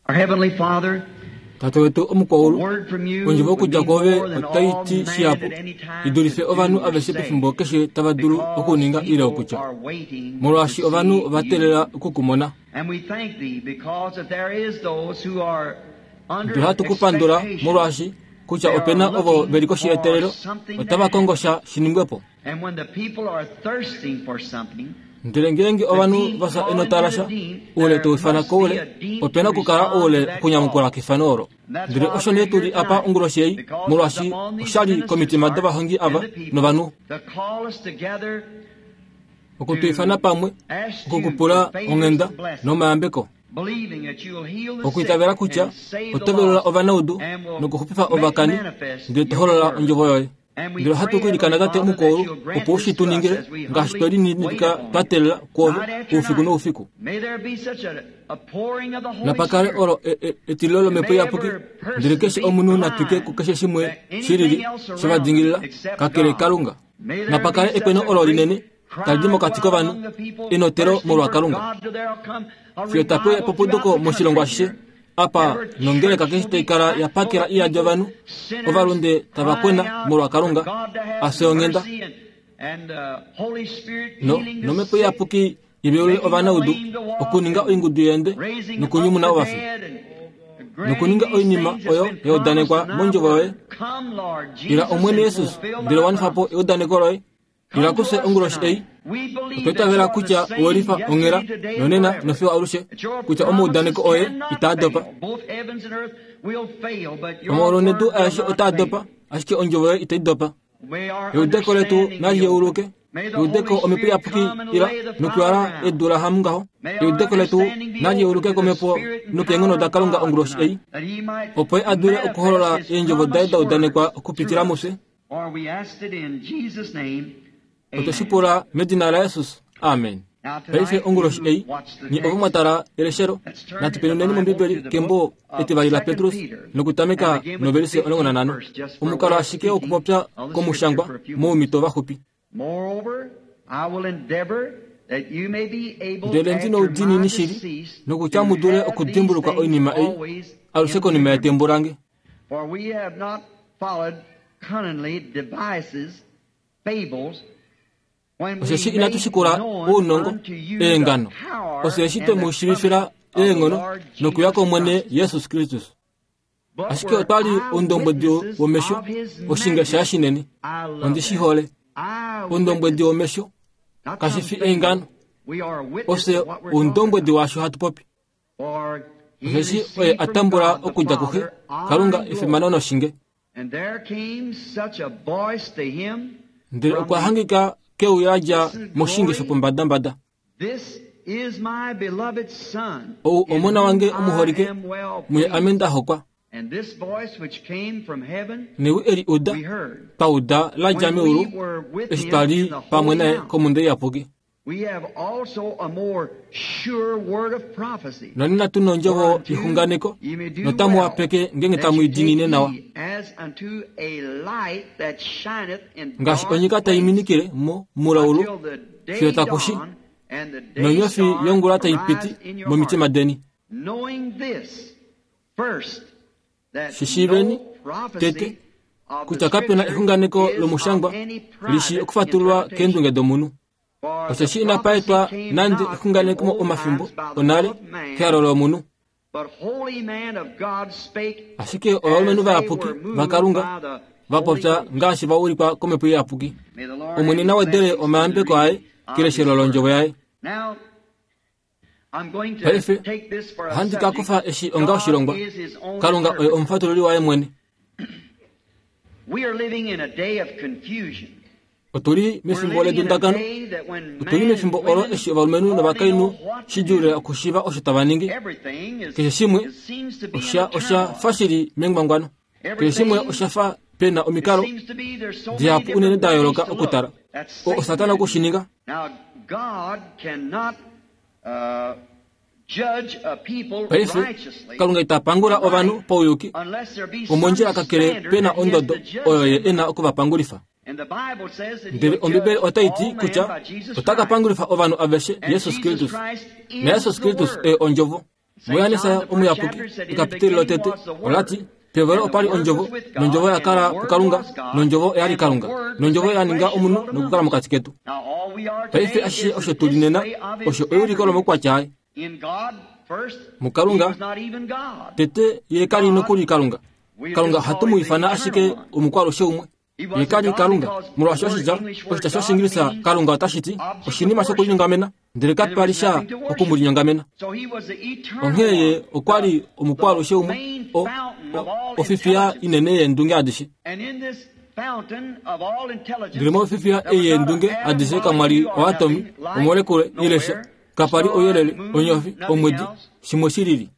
Our Heavenly Father, Tate wetu omukwaulu, a word from you ondjovo would okudja mean kwoove more than otai all ti man shihapu at any time i dulife could ovanhu do or aveshe say, pefimbo keshe tava dulu because okuninga ile people okutya, are waiting molwaashi to ovanhu see ova you. teelela oku ku mona. And we thank thee because that there is those who are under Ndele ohatu ku pandula expectation. molwaashi kutya They opena are ovo looking ve li koshi for yeteelelo something to otava kongo sha shi ningwe po. And when the people are thirsting for something, Ndele ngeenge ovanhu va fya enota lasha, oule tau ifana koule, opena okukala oule okunyamukula kefano olo. Ndele osho nee tuli apa onguloshi ei, molwaashi oshali komitima dovahongi ava novanhu to call us together oku tu ifana pamwe, ask you okukupula for favors onghenda and blessings, nomayambeko, believing that you'll heal the okuitavela sick kutya and save the oto velula lost ovanaudu and will nokuxupifa make ovakani, manifest ndele to your holola word. ondjovo yoye. And we Ndele ohatu pray, ku ilikana Heavenly Tate Father, that omukwaulu you'll grant opo u this shi tu to us ningile as we ngaashi twe humbly wait lininipika upon twa you. teelela kwoove Night after oufiku night. noufiku. May there be such a pouring of the Holy Napakale Spirit. olo etililo And lomhepo may iyapuki, every ndele person keshe be omunhu na twike blind kukeshe shimwe to shi lili anything else she va around dingilila them except kakele God. Kalunga. May there be Napakale such ekweno a olo great linene tali di cry mokati go out kovanhu, among the people enotelo thirsting molwa for Kalunga. God till there'll come a Fiyo tape revival epupuduko throughout the moshilongo country ashishe here. apa Every nongeleka church keshe will tai be kala ya packed full pakela of iyadi people, ovanhu, sinners ovalunde tava crying kwena out molwa for Kalunga, God to have a fye onghenda, mercy and Holy Spirit no healing the nomhepo sick, iyapuki ivelule making the ovanaudu, lame to walk okuninga and oingudu yende raising up nokunyumuna the ovafi, dead and granting nokuninga these oinima things that's oyo been ya promised udanekwa in thy mondjovo yoye. word. Come, Lord Ila Jesus, Omwene and Jesus, fulfill ndele thy wanifa po promise. eudaneko loye. Ila Come to kufye us onguloshi ei, tonight. We believe otwa that itavela you are the kutya same owelifa onghela yesterday, today, and nonena forever. nofiyo alushe, That your kutya promises omaudaneko oye cannot itaa dopa. fail. Both heavens and earth will fail, but your Omaulu nedu word will aeshe not otaa fail. dopa, ashike ondjovo yoye itai dopa. May our Eudeko letu understanding nali be open. yeuluke, May the eudeko Holy omhepo Spirit iyapuki come and ila lay the fallow nokuwala ground. edu la hamungaho. May our Eudeko letu understanding be nali open yeuluke to the komhepo Spirit and nokeenghono power da of Kalunga God onguloshi ei, tonight, that He might opo ye a dule okuholola manifest His eendjovo daye promised da udanekwa word through okupitila us. mufye. For we asked it in Jesus' name. Otwe shi Amen. pula medina laJesus. Amen. Now Paife tonight, onguloshi you ei, watch the nye ovo text. mwa tala eleshelo, Let's turn natu in the penuneni Bible mOmbibeli to the kembo book of etivali 2 laPetrus Peter and nokutameka begin with the novelise 15th 15 verse, just for a Omukalo way of ashike speaking okupopya of the scripture komushangwa for a few moments. moumhito vaxupi. Moreover, I will endeavor that you may be able Ndele ndi after my noudiinini shili decease nokutya to mu dule have these okudimbuluka things oinima ei always alushe in konima remembrance. yetembo lange. For we have not followed cunningly devices, fables, when we Osheshi inatu made shikula known ounongo unto you the eengano, power osheshi twe and mu the shiivifila coming of the eenghono Lord nokuya Jesus kOmwene Christ. Jesus Kristus. But Ashike were otwa li oundombwedi eyewitnesses womesho, of his oshinge shaye majesty. shinene. I love Ondi shi that. hole. Oundombwedi Eyewitnesses, womesho not kashi some fi fable. eengano, We are a witness ofye of what we're talking oundombwedi about. waasho hatu popi. For he Osheshi oye received a from tambula God the okudja kuxe, Father honor Kalunga and efimano glory. noshinge. And there came such a voice to him Ndele from okwa the hangika keuya la dja blessed moshinge glory, shopombadambada. This is my beloved Son, Ou in omona whom wange I omuholike, am well muye ame pleased. nda hokwa. And this voice which came from heaven Newi eli uda, we heard twa uda la dja when we meulu, were with eshi him twa in li the pamwe holy naye mount. komhunda iyapuki. We have also a more sure word of prophecy. Nonena tu nondjovo Whereunto yexunganeko, ye may do notamu well wapeke ngenge that tamu you i take diinine nawa. heed as unto a light that shineth in Ngaashi dark onyika tai place minikile mo mulaulu, until the fiyo day taku shi, dawn and the day nonyofi star yongula tai arise piti in your momitima heart. deni. Knowing this first, that Shi shiiveni no prophecy tete of the kutya kapena scripture exunganeko is of lomushangwa any li shii private okufatululwa interpretation. keendunge domunhu. For the Osheshi inapa prophecy etwa came nande not in exunganeko old omafimbo times by the onale will of man, kehalo lomunhu. but holy men of God spake Ashike ovalumenhu as they vayapuki were moved vaKalunga by the va Holy popya Ghost. ngaashi va ulikwa komhepo iyapuki. May the Lord Omwene add his na wedele blessings to the omayambeko aye reading of his keleshelo word. londjovo yaye. Now, I'm going to Paife take this for a ohandi ka subject. kufa eshi onga God oshilongwa. is his own Kalunga oye interpreter. omufatululi waye mwene. We are living in a day of confusion. Otuli We're mefimbo living in a ledundakano. day that when Otuli man and mefimbo olo women eshi ovalumenhu hardly know novakainhu what to shidjuu do, okushiiva osho tava ningi. everything is, Keshe shimwe it seems to be in osha a osha turmoil. fa shili mengwangwano. Keshe shimwe Everything, osha fa pena it omikalo seems to be there's so many dihapu unene different da ways yooloka to okutala. look. That's O Satan Satana to oku do. shi ninga. Now, God cannot judge a people Paife righteously Kalunga ita pangula or ovanhu right pauyuki unless there be some omondjila kakele standard pena that he has ondodo to judge oyo ye them by. ena okuvapangulifa. And the Bible says that Ndele he'll Ombibeli judge otai ti all men kutya by Jesus ota ka Christ. pangulifa ovanhu aveshe And Jesus Jesus Kristus. Christ Na is Jesus the Kristus Word. oye ondjovo. MuJohannes Omuyapuki, ekapiteli lotete, ola ti, Pehovelo opa li Ondjovo, nOndjovo oya kala puKalunga, nOndjovo oya li Kalunga, nOndjovo ya ninga omunhu nokukala mokati ketu. Paife ashishe osho tu li nena osho euliko lomaukwatya aye. MuKalunga, tete ye ka li nokuli Kalunga. Kalunga ohatu mu ifana ashike omukwaalushe umwe. Ye ka li Kalunga, molwaashi oshitya oshitya shOshiingilisa Kalunga otashi ti oshinima shokulinyongamena, ndele kapa li sha oku mu linyongamena. Onghee ye okwa li omukwaalushe umwe, o, o, ofifiya inene yeendunge adishe. Ndele mofifiya ei yeendunge adishe kamwa li oatomi, omolekule, ile sha. Kapa li ouyelele, onyofi, omwedi, shimwe shi lili.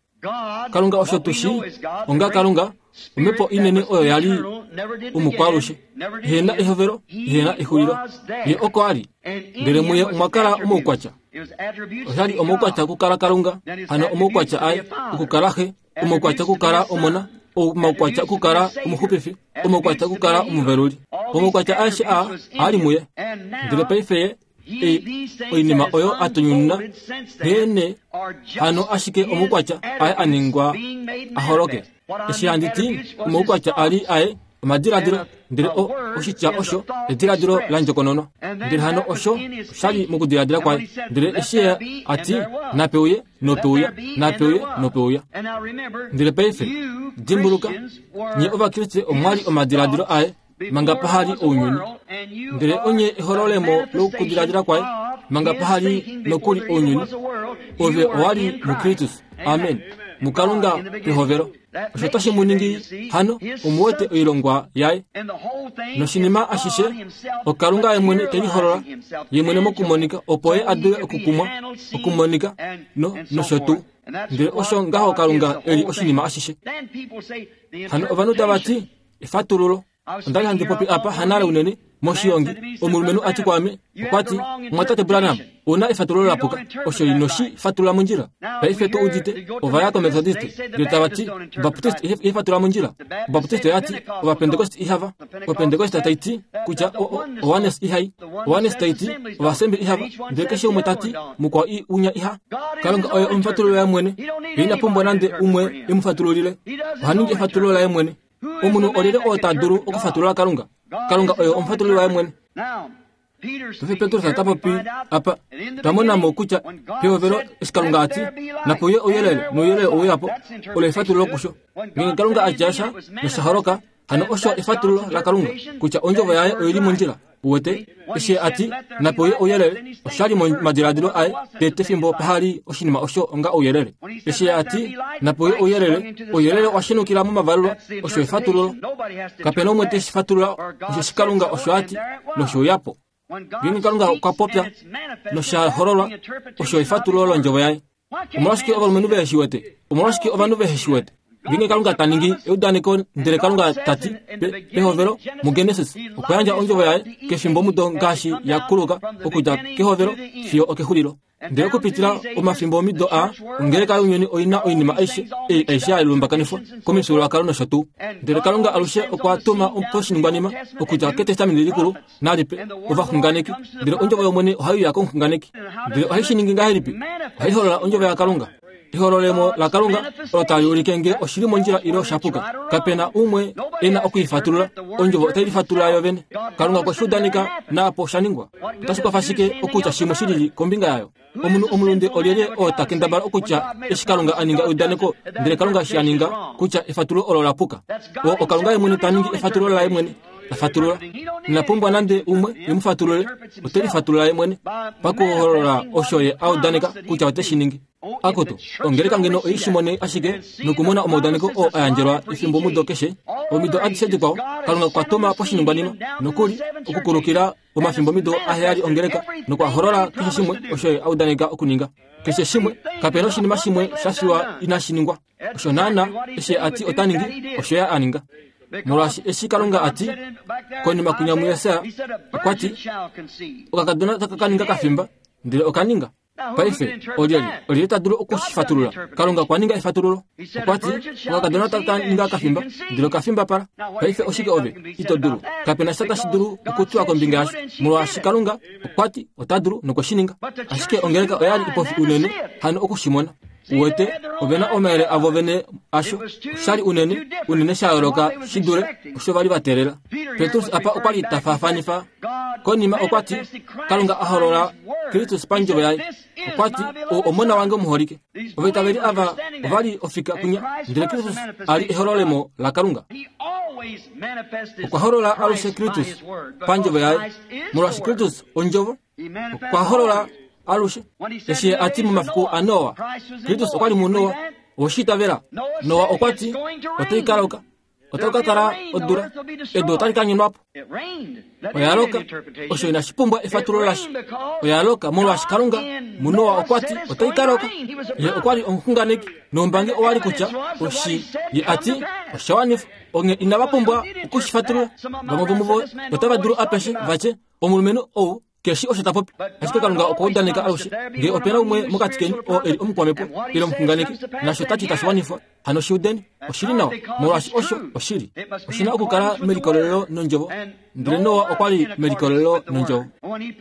Kalunga osho tu shii onga Kalunga, omhepo inene oyo ya li omukwaalushe, ihe na ehovelo, ihe na exulilo. Ye oko a li, ndele muye omwa kala omaukwatya. Osha li omaukwatya okukala Kalunga, hano omaukwatya aye okukala Xe, omaukwatya okukala Omona, omaukwatya okukala Omuxupifi, omaukwatya okukala Omuveluli. Omaukwatya aeshe aa a li muye. Ndele paife ye oinima oyo a tunyununa nghee hano ashike omaukwatya aye a ningwa a holoke. Eshi handi ti omaukwatya a li aye omadiladilo, ndele o oshitya osho ediladilo la ndjokononwa. Ndele hano osho osha li mokudiladila kwaye. Ndele eshi ye a ti, Nape uye, nope uya, nape uye, nope uya. Ndele paife, dimbuluka, nye Ovakriste omwa li omadiladilo aye, manga paha li ounyuni. Ndele onye ehololemo lokudiladila kwaye, manga paha li nokuli ounyuni. Ove owa li muKristus. Amen. MuKalunga pehovelo. Osho otashi mu ningi hano omu wete oilongwa yaye. Noshinima ashishe, oKalunga ye mwene te liholola ye mwene mokumonika opo ye a dule okukumwa, okumonika, no, nosho tuu. Ndele osho ngaho Kalunga e li oshinima ashishe. Hano ovanhu tava ti, Efatululo. Onda li handi popi apa hanale unene, moshiongi. Omulumenhu a ti kwaame, okwa ti, Mumwatate Branham, ou na efatululo la puka. Osho ino shi fatulula mondjila. Paife tu udite, ova ya kOmethodiste, ndele tava ti, Obaptiste ihai fatulula mondjila. Obaptiste oya ti, Ovapentekoste ihava. Opentekoste tai ti, kutya, o, o, Owanes ihai. Owanes tai ti, Ovaasembli ihava. Ndele keshe umwe ta ti, mukwao i unya iha. Kalunga oye omufatululi waye mwene. Ye ina pumbwa nande umwe e mu fatululile. Oha ningi efatululo laye mwene. Omunhu olyelye oo ta dulu okufatulula Kalunga? Kalunga oye omufatululi waye mwene. Paife Petrus ota popi apa, twa mona mo kutya pehovelo eshi Kalunga a ti, Nape uye ouyelele, nouyelele owe uya po, olo efatululo kusho. Ngeenge Kalunga a tya sha nosha holoka, hano osho efatululo laKalunga kutya ondjovo yaye oi li mondjila. Uwete, eshi a ti, Nape uye ouyelele, osha li momadiladilo aye tete fimbo paha li oshinima osho onga ouyelele. Eshi a ti, Nape uye ouyelele, ouyelele owa shenukila momavalulwa, osho efatululo. Kape na umwe te shi fatulula, osheshi Kalunga osho a ti, noshe uya po. Ngeenge Kalunga okwa popya nosha hololwa, osho efatululo londjovo yaye. Omolwashike ovalumenhu vehe shi wete? Omolwashike ovanhu vehe shi wete? Ngeenge Kalunga ta ningi eudaneko ndele Kalunga ta ti pehovelo muGenesis okwa yandja ondjovo yaye kefimbomudo ngaashi ya kuluka okudja kehovelo fiyo okexulilo. Ndele okupitila omafimbo omido aa, ongeleka younyuni oi na oinima aishe ei aishe ya lumbakanifwa komifyuululwakalo nosho tuu. Ndele Kalunga alushe okwa tuma poshiningwanima okudja kEtestamenti Likulu nalipe ovaxunganeki. Ndele ondjovo yOmwene ohai uya komuxunganeki. Ndele ohai shi ningi ngahelipi? Ohai holola ondjovo yaKalunga. Ehololemo laKalunga olo tali ulike nge oshi li mondjila ile osha puka. Kape na umwe e na oku i fatulula. Ondjovo otai lifatulula yo vene. Kalunga okwe shi udaneka naapo osha ningwa. Otashi kwafa shike okutya shimwe shi lili kombinga yayo? Omunhu omulunde olyelye oo ta kendabala okutya eshi Kalunga a ninga eudaneko ndele Kalunga eshi a ninga kutya efatululo olo la puka? Oo oKalunga ye mwene ta ningi efatululo laye mwene. Ta fatulula. Ina pumbwa nande umwe e mu fatulule. Ote lifatulula ye mwene pakuholola osho ye a udaneka kutya ote shi ningi. Akutu, ongeleka ngeno oi shi mone ashike nokumona omaudaneko oo a yandjelwa efimbomudo keshe, omido adishe dikwao, Kalunga okwa tuma poshiningwanima, nokuli okukulukila omafimbomido aheyali ongeleka nokwa holola keshe shimwe osho ye a udaneka okuninga. Keshe shimwe, kape na oshinima shimwe sha fiwa inashi ningwa. Osho naana eshi a ti ota ningi, osho ye a ninga. Molwaashi eshi Kalunga a ti, konima kwinya muJesaja, okwa ti, Okakadona otaka ka ninga kafimba, ndele oka ninga. Paife, olyelye, olyelye ta dulu oku shi fatulula? Kalunga okwa ninga efatululo. Okwa ti, Okakadona otaka ka ninga kafimba, ndele okafimba pala. Paife oshike ove ito dulu? Kape na sha tashi dulu okutiwa kombinga yasho, molwaashi Kalunga okwa ti ota dulu nokwe shi ninga. Ashike ongeleka oya li ipofi unene hano oku shi mona. Uwete, ove na omayele avo vene asho. Osha li unene, unene sha yooloka shi dule osho va li va teelela. Petrus apa okwa li ta faafanifa. Konima okwa ti, Kalunga a holola Kristus pandjovo yaye. Okwa ti, Ou Omona wange omuholike. Ovaitaveli ava ova li ofika kunya, ndele Kristus a li ehololemo laKalunga. Okwa holola alushe Kristus pandjovo yaye, molwaashi Kristus ondjovo. Okwa holola alushe eshi a ti momafiku aNoa, Kristus okwa li muNoa. Owe shi itavela? Noa okwa ti, Otai ka loka. Otai ka kala odula. Edu otali ka nyonwa po. Oya loka. Osho inashi pumbwa efatululo lasha. Oya loka molwaashi Kalunga muNoa okwa ti otai ka loka. Ye okwa li omuxunganeki noumbangi owa li kutya oshi ye a ti osha wanifwa. Onghee inava pumbwa oku shi fatulula. Vamwe vomuvo otava dulu apeshe va tye, Omulumenhu ou ke shii osho ta popi. Ashike Kalunga okwa udaneka alushe, Ngee ope na umwe mokati keni oo e li omukwamhepo ile omuxunganeki, nasho ta ti tashi wanifwa, hano shi udeni. Oshi li nawa, molwaashi osho oshili. Oshi na okukala melikolelelo nOndjovo. Ndele Noa okwa li melikolelelo nOndjovo.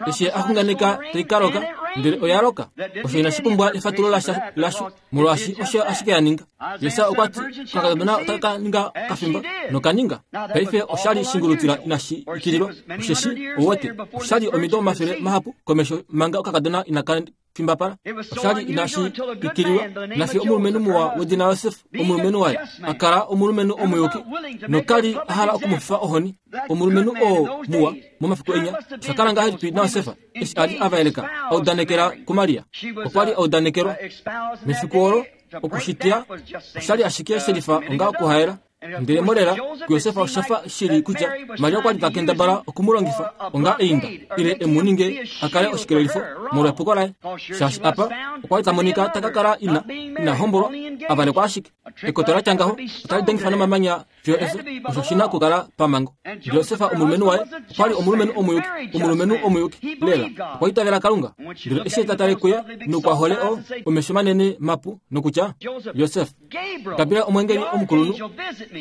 Eshi ye a xunganeka tai ka loka, ndele oya loka. Osho inashi pumbwa efatululo lasha lasho. Molwaashi osho ashike ya ninga. Jesaja okwa ti, Okakadona otaka ka ninga kafimba, noka ninga. Paife osha li shingulutila inashi ikililwa, osheshi, ou wete, osha li omido omafele mahapu komesho manga okakadona inaka fimbapala. Osha li inashi ikililwa, nafiyo omulumenhu muwa wedina Josef, omulumenhu waye, a kala omulumenhu omuyuki, noka li a hala oku mu fifa ohoni. Omulumenhu oo muwa, momafiku enya, osha kala ngahelipi naJosef? Eshi a li a vaeleka a udanekela kuMaria, okwa li a udanekelwa. Mefiku olo, okushitya osha li ashike she lifa onga okuhaela. Ndele molela, kuJosef osha fa shi li kutya Maria okwa li ta kendabala oku mu longifa onga einda ile e mu ninge a kale oshikelelifo molwepuko laye, shaashi apa okwa li ta monika ta ka kala ina ina hombolwa, a valekwa ashike. Ekoto la tya ngaho otali dengifa nomamanya Fiyo efyo, osho shi na okukala pamhango. Josef omulumenhu waye okwa li omulumenhu omuyuki, omulumenhu omuyuki lela. Okwa itavela Kalunga. Ndele eshi ta tale kuye nokwa hole o, omesho manene mapu nokutya, Josef, Gabriel omwengeli omukulunhu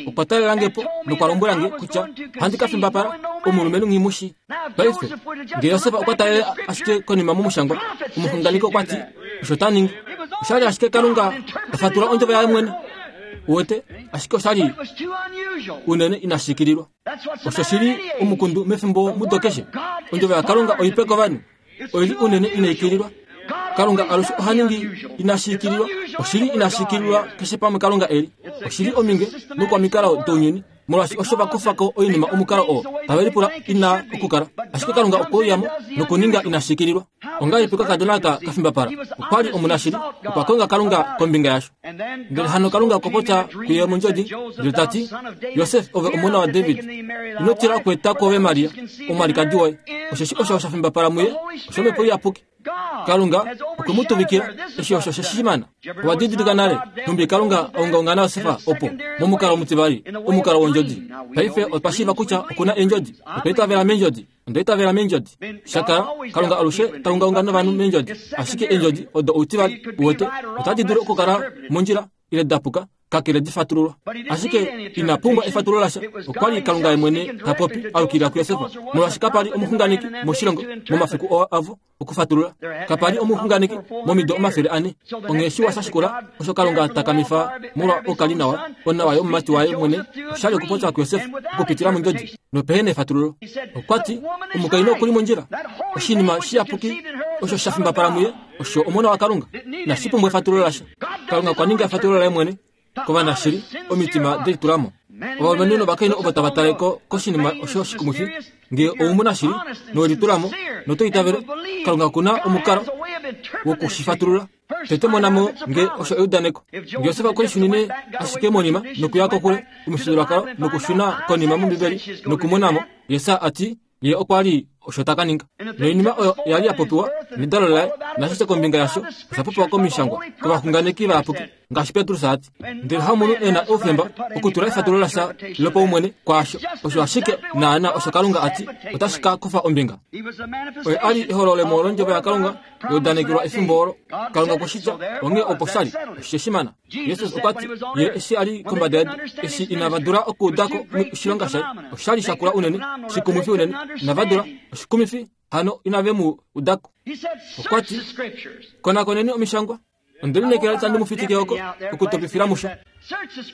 okwa talela nge po nokwa lombwela nge kutya ohandi ka fimbapala omulumenhu nghi mu shii. Paife, nge Josef okwa talele ashike konima momushangwa, omuxunganeki okwa ti osho ta ningi. Osha li ashike Kalunga ta fatula ondjovo yaye mwene. Uwete, ashike osha li unene inashi ikililwa. Osho shi li omukundu mefimbo mudo keshe. Ondjovo yaKalunga oipe kovanhu oi li unene inai ikililwa. Kalunga alushe oha ningi inashi ikililwa. Oshi li inashi ikililwa keshe pamwe Kalunga e li. Oshi li ominge nokwamikalo dounyuni, molwaashi osho va kufa ko oinima omukalo oo tave lipula ina okukala. Ashike Kalunga okwe uya mo nokuninga inashi ikililwa. Ongahelipi okakadona aka ka fimbapala? Okwa li omunashili, okwa konga Kalunga kombinga yasho. Ndele hano Kalunga okwa popya kuye mondjodi, ndele ta ti, Josef, ove omona waDavid, ino tila okweeta kwoove Maria, omwalikadi woye, osheshi osho sha fimbapala muye oshOmhepo Iyapuki. Kalunga okwe mu tuvikila, eshi osho she shi mana. Owa didilika nale nhumbi Kalunga a ungaunga naJosef opo, momukalo omutivali, omukalo wondjodi. Paife otwa shiiva kutya oku na eendjodi. Otwa itavela meendjodi. Onda itavela meendjodi. Sha kala, Kalunga alushe ta ungaunga novanhu meendjodi. Ashike eendjodi odo outivali, uwete, otadi dulu okukala mondjila ile da puka, kakele di fatululwa. Ashike ina pumbwa efatululo lasha. Okwa li Kalunga ye mwene ta popi a yukilila kuJosef, molwaashi kapa li omuxunganeki moshilongo momafiku oo avo okufatulula. Kapa li omuxunganeki momido 400. Onghee shiwa sha shikula osho Kalunga ta kamifa molwa oukalinawa onawa yomumati waye mwene osha li okupopya kuJosef okupitila mondjodi nopehe na efatululo. Okwa ti, Omukainhu oku li mondjila. Oshinima shiyapuki osho sha fimbapala muye osho Omona waKalunga. Inashi pumbwa efatululo lasha. Kalunga okwa ninga efatululo laye mwene kovanashili omitima de litula mo. Ovalumenhu novakainhu ovo tava tale ko koshinima osho shikumwifi, ngee ou mu nashili nowe litula mo noto itavele, Kalunga oku na omukalo woku shi fatulula. Tete mona mo nge osho eudaneko. Nge Josef okwe lishunine ashike monima nokuya kokule omifyuululwakalo nokushuna konima mOmbibeli nokumona mo, Jesus a ti, Ye okwa li osho ta ka ninga. Noinima oyo oya li ya popiwa nedalo laye, naashishe kombinga yasho osha popiwa komishangwa kovaxunganeki vayapuki, ngaashi Petrus a ti. Ndele hamunhu e na oufemba okutula efatululo lasha lopaumwene kwaasho. Osho ashike naanaa osho Kalunga a ti otashi ka kufa ombinga. Oye a li ehololemo londjovo yaKalunga ya udanekelwa efimbo olo. Kalunga okwe shi tya, onghee opo sha li. Oshe shi mana. Jesus okwa ti, Ye eshi a li kombada yedu, eshi inava dula okuuda ko oshilonga shaye, osha li sha kula unene, shikumwifi unene, inava dula, oshikumifi, hano inave mu uda ko. Okwa ti, Konakoneni omishangwa. Onde lineekela itandi mu fitike oko okutopifila musho.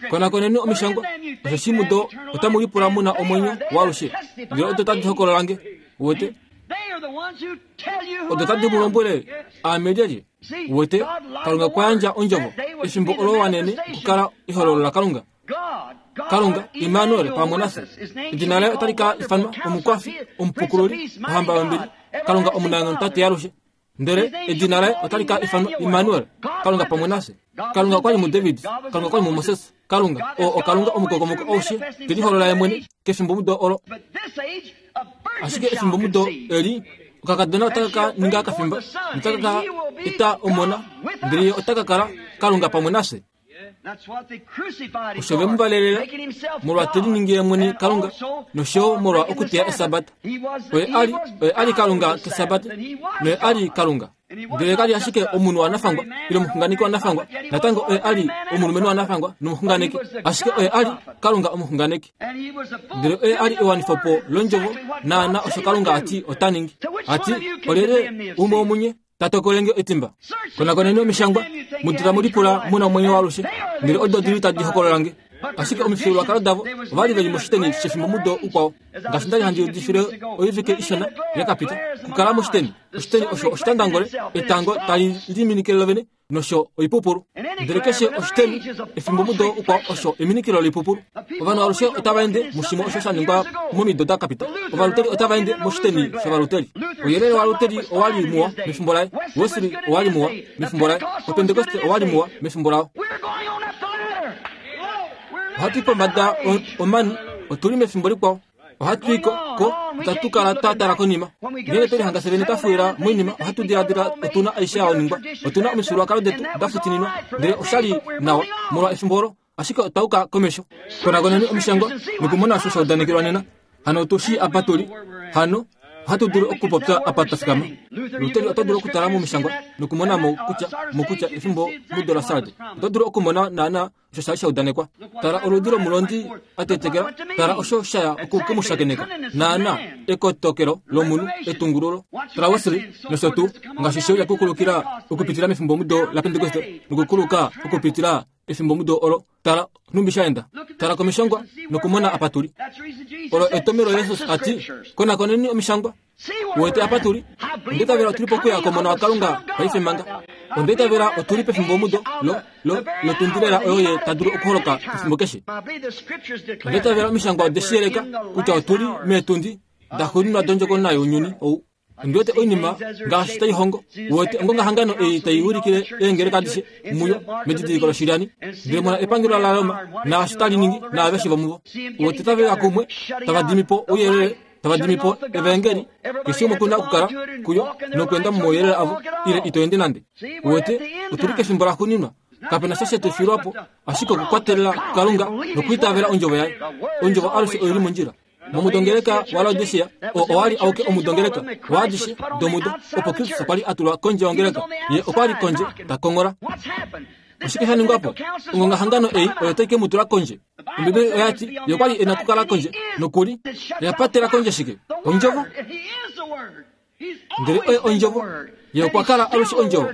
Konakoneni omishangwa, osheshi mudo otamu lipula mu na omwenyo waalushe. Ndele odo tadi hokolola nge. Uwete? Odo tadi mu lombwele aame lyelye. Uwete? Kalunga okwa yandja ondjovo efimbo olo wanene okukala ehololo laKalunga. Kalunga, Immanuel pamwe nafye. Edina laye otali ka ifanwa Omukwafi, Omupukululi, Ohamba yombili, Kalunga omunaenghono Tate yalushe. Ndele edina laye otali ka ifanwa Immanuel, Kalunga pamwe nafye. Kalunga okwa li muDavid, Kalunga okwa li muMoses, Kalunga oo oKalunga omukokomoko aushe, te liholola ye mwene kefimbomudo olo. Ashike efimbomudo eli okakadona otaka ka ninga kafimba notaka ka eta omona, ndele ye ota ka kala Kalunga pamwe nafye. Osho ve mu valelela molwa te liningi ye mwene Kalunga nosho yo molwa okuteya Esabata. Oye a li, oye a li Kalunga kEsabata, noye a li Kalunga. Ndele ka li ashike omunhu wanafangwa ile omuxunganeki wanafangwa, natango oye a li omulumenhu wanafangwa nomuxunganeki, ashike oye a li Kalunga omuxunganeki. Ndele oye a li ewanifopo londjovo naana osho Kalunga a ti ota ningi. A ti, Olyelye umwe womunye ta tokolenge etimba. Konakoneni omishangwa, mu tamu lipula mu na omwenyo waalushe, ndele odo di li tadi hokolola nge. Ashike omifyuululwakalo davo ova li ve li moshiteni shefimbomudo ukwao, ngaashi nda li handi udifile oivike ishona ya ka pita. Okukala moshiteni, oshiteni osho oshitandangole, etango tali liminikile lovene, nosho oipupulu. Ndele keshe oshiteni efimbomudo ukwao osho eminikilo loipupulu. Ovanhu alushe otava ende mushimwe osho sha ningwa momido da ka pita. Ovaluteri otava ende moshiteni shovaluteri. Ouyelele waluteri owa li muwa mefimbo laye. Wesley owa li muwa mefimbo laye. Opentekoste owa li muwa mefimbo lao. Ohatu i pombada omani, otu li mefimbo likwao. Ohatu i ko, ko, itatu kala twa tala konima. Ngeenge twe lihanga fye vene twa fuwila moinima, ohatu diladila otu na aishe ya ningwa. Otu na omifyuululwakalo detu da futininwa, ndele osha li nawa molwa efimbo olo, ashike otwa yuka komesho. Konakoneni omishangwa nokumona osho sha udanekelwa nena. Hano otu shii apa tu li. Hano ohatu dulu okupopya apa twa fikama. Luteri oto dulu okutala momishangwa nokumona mo kutya, mo kutya efimbo mudo laSarde. Oto dulu okumona naanaa osho sha li sha udanekwa. Tala oludi lomulondi a tetekela, tala osho sha ya oku ke mu shakeneka. Naana, ekotokelo lomunhu, etungululo. Tala Wesley, nosho tuu, ngaashi she uya kukulukila okupitila mefimbomudo laPentekoste, nokukuluka okupitila efimbomudo olo, tala nhumbi sha enda. Tala komishangwa nokumona apa tu li. Olo etomelo Jesus a ti, Konakoneni omishangwa. Uwete apa tu li? Onda itavela otu li pokuya komona waKalunga paife manga. Onda itavela otu li pefimbomudo lo, lo, lotundi lela oyo ye ta dulu okuholoka pefimbo keshe. Onda itavela omishangwa ode shi yeleka kutya otu li meetundi daxuuninwa dondjokonona younyuni ou. Ondi wete oinima ngaashi tai hongo. Uwete ongongahangano ei tai ulikile eengeleka adishe muyo medidiliko loshilyani. Ndele mona epangelo laRoma naasho tali ningi naaveshe vomuvo. Uwete tave uya kumwe tava dimi po ouyelele tava dimi po evaengeli keshe umwe kuna okukala kuyo nokuenda momauyelele avo ile ito ende nande uwete otu li kefimbo laxuuninwa kape na sha she tu filwa po ashike okukwatelela kukalunga nokwiitavela ondjovo yaye ondjovo alushe oyo li mondjila momudongeleka walaodisia oo owa li auke omudongeleka waadishe domudo opo kristus okwa li a tulwa kondje yongeleka ye okwa li kondje ta kongola oshike sha ningwa po ongongahangano ei oyo tai ke mu tula kondje Ombibeli oya ti ye okwa li e na okukala kondje nokuli oya patela kondje shike? Ondjovo. Ndele oye ondjovo. Ye okwa kala alushe ondjovo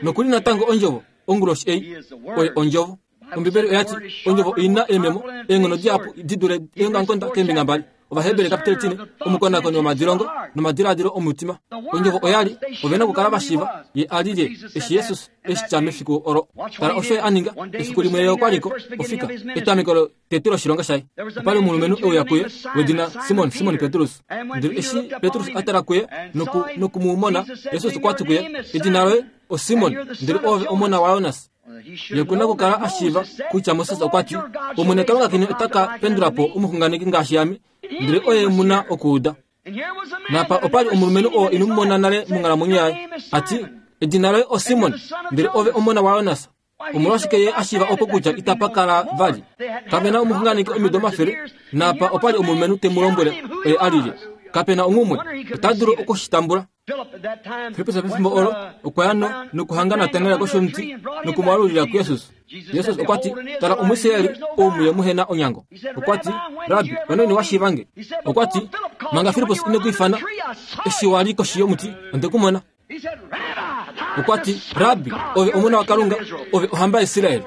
nokuli natango ondjovo onguloshi ei oye ondjovo. Ombibeli oya ti ondjovo oi na eememo eenghono dihapu di dule eongamukonda keembinga mbali. Ovaheberi kapiteli 4 omukonakoni womadilongo nomadiladilo omutima. Ondjovo oya li ove na okukala va shiiva ye a li lye eshi Jesus e shi tya mefiku olo. Tala osho ye a ninga efiku limwe ye okwa li ko ofika etameko lotete loshilonga shaye. Opa li omulumenhu e uya kuye wedina Simon, Simon Petrus. Ndele eshi Petrus a tala kuye noku, noku mu mona, Jesus okwa ti kuye, Edina loye oSimon, ndele oove omona waJonas. Ye ku na okukala a shiiva kutya Moses okwa ti, Omwene Kalunga keni ota ka pendula po omuxunganeki ngaashi ame, ndele oye mu na okuuda. Napa opa li omulumenhu oo ino mu mona nale monghalamwenyo yaye, a ti, Edina loye oSimon, ndele ove omona waJonas. Omolwashike ye a shiiva opo kutya itapa kala vali? Kape na omuxunganeki omido omafele, napa opa li omulumenhu te mu lombwele oye a lile. Kape na onghumwe, ota dulu oku shi tambula. Filippus pefimbo olo okwa ya nokuhanga Natanael koshomuti noku mu alulila kuJesus. Jesus okwa ti, Tala Omuisraeli ou muye muhe na onyango. Okwa ti, Rabbi, onaini wa shiiva nge? Okwa ti, Manga Filippus ine ku ifana, eshi wa li koshi yomuti, onde ku mona. Okwa ti, Rabbi, ove Omona waKalunga, ove ohamba yaIsrael.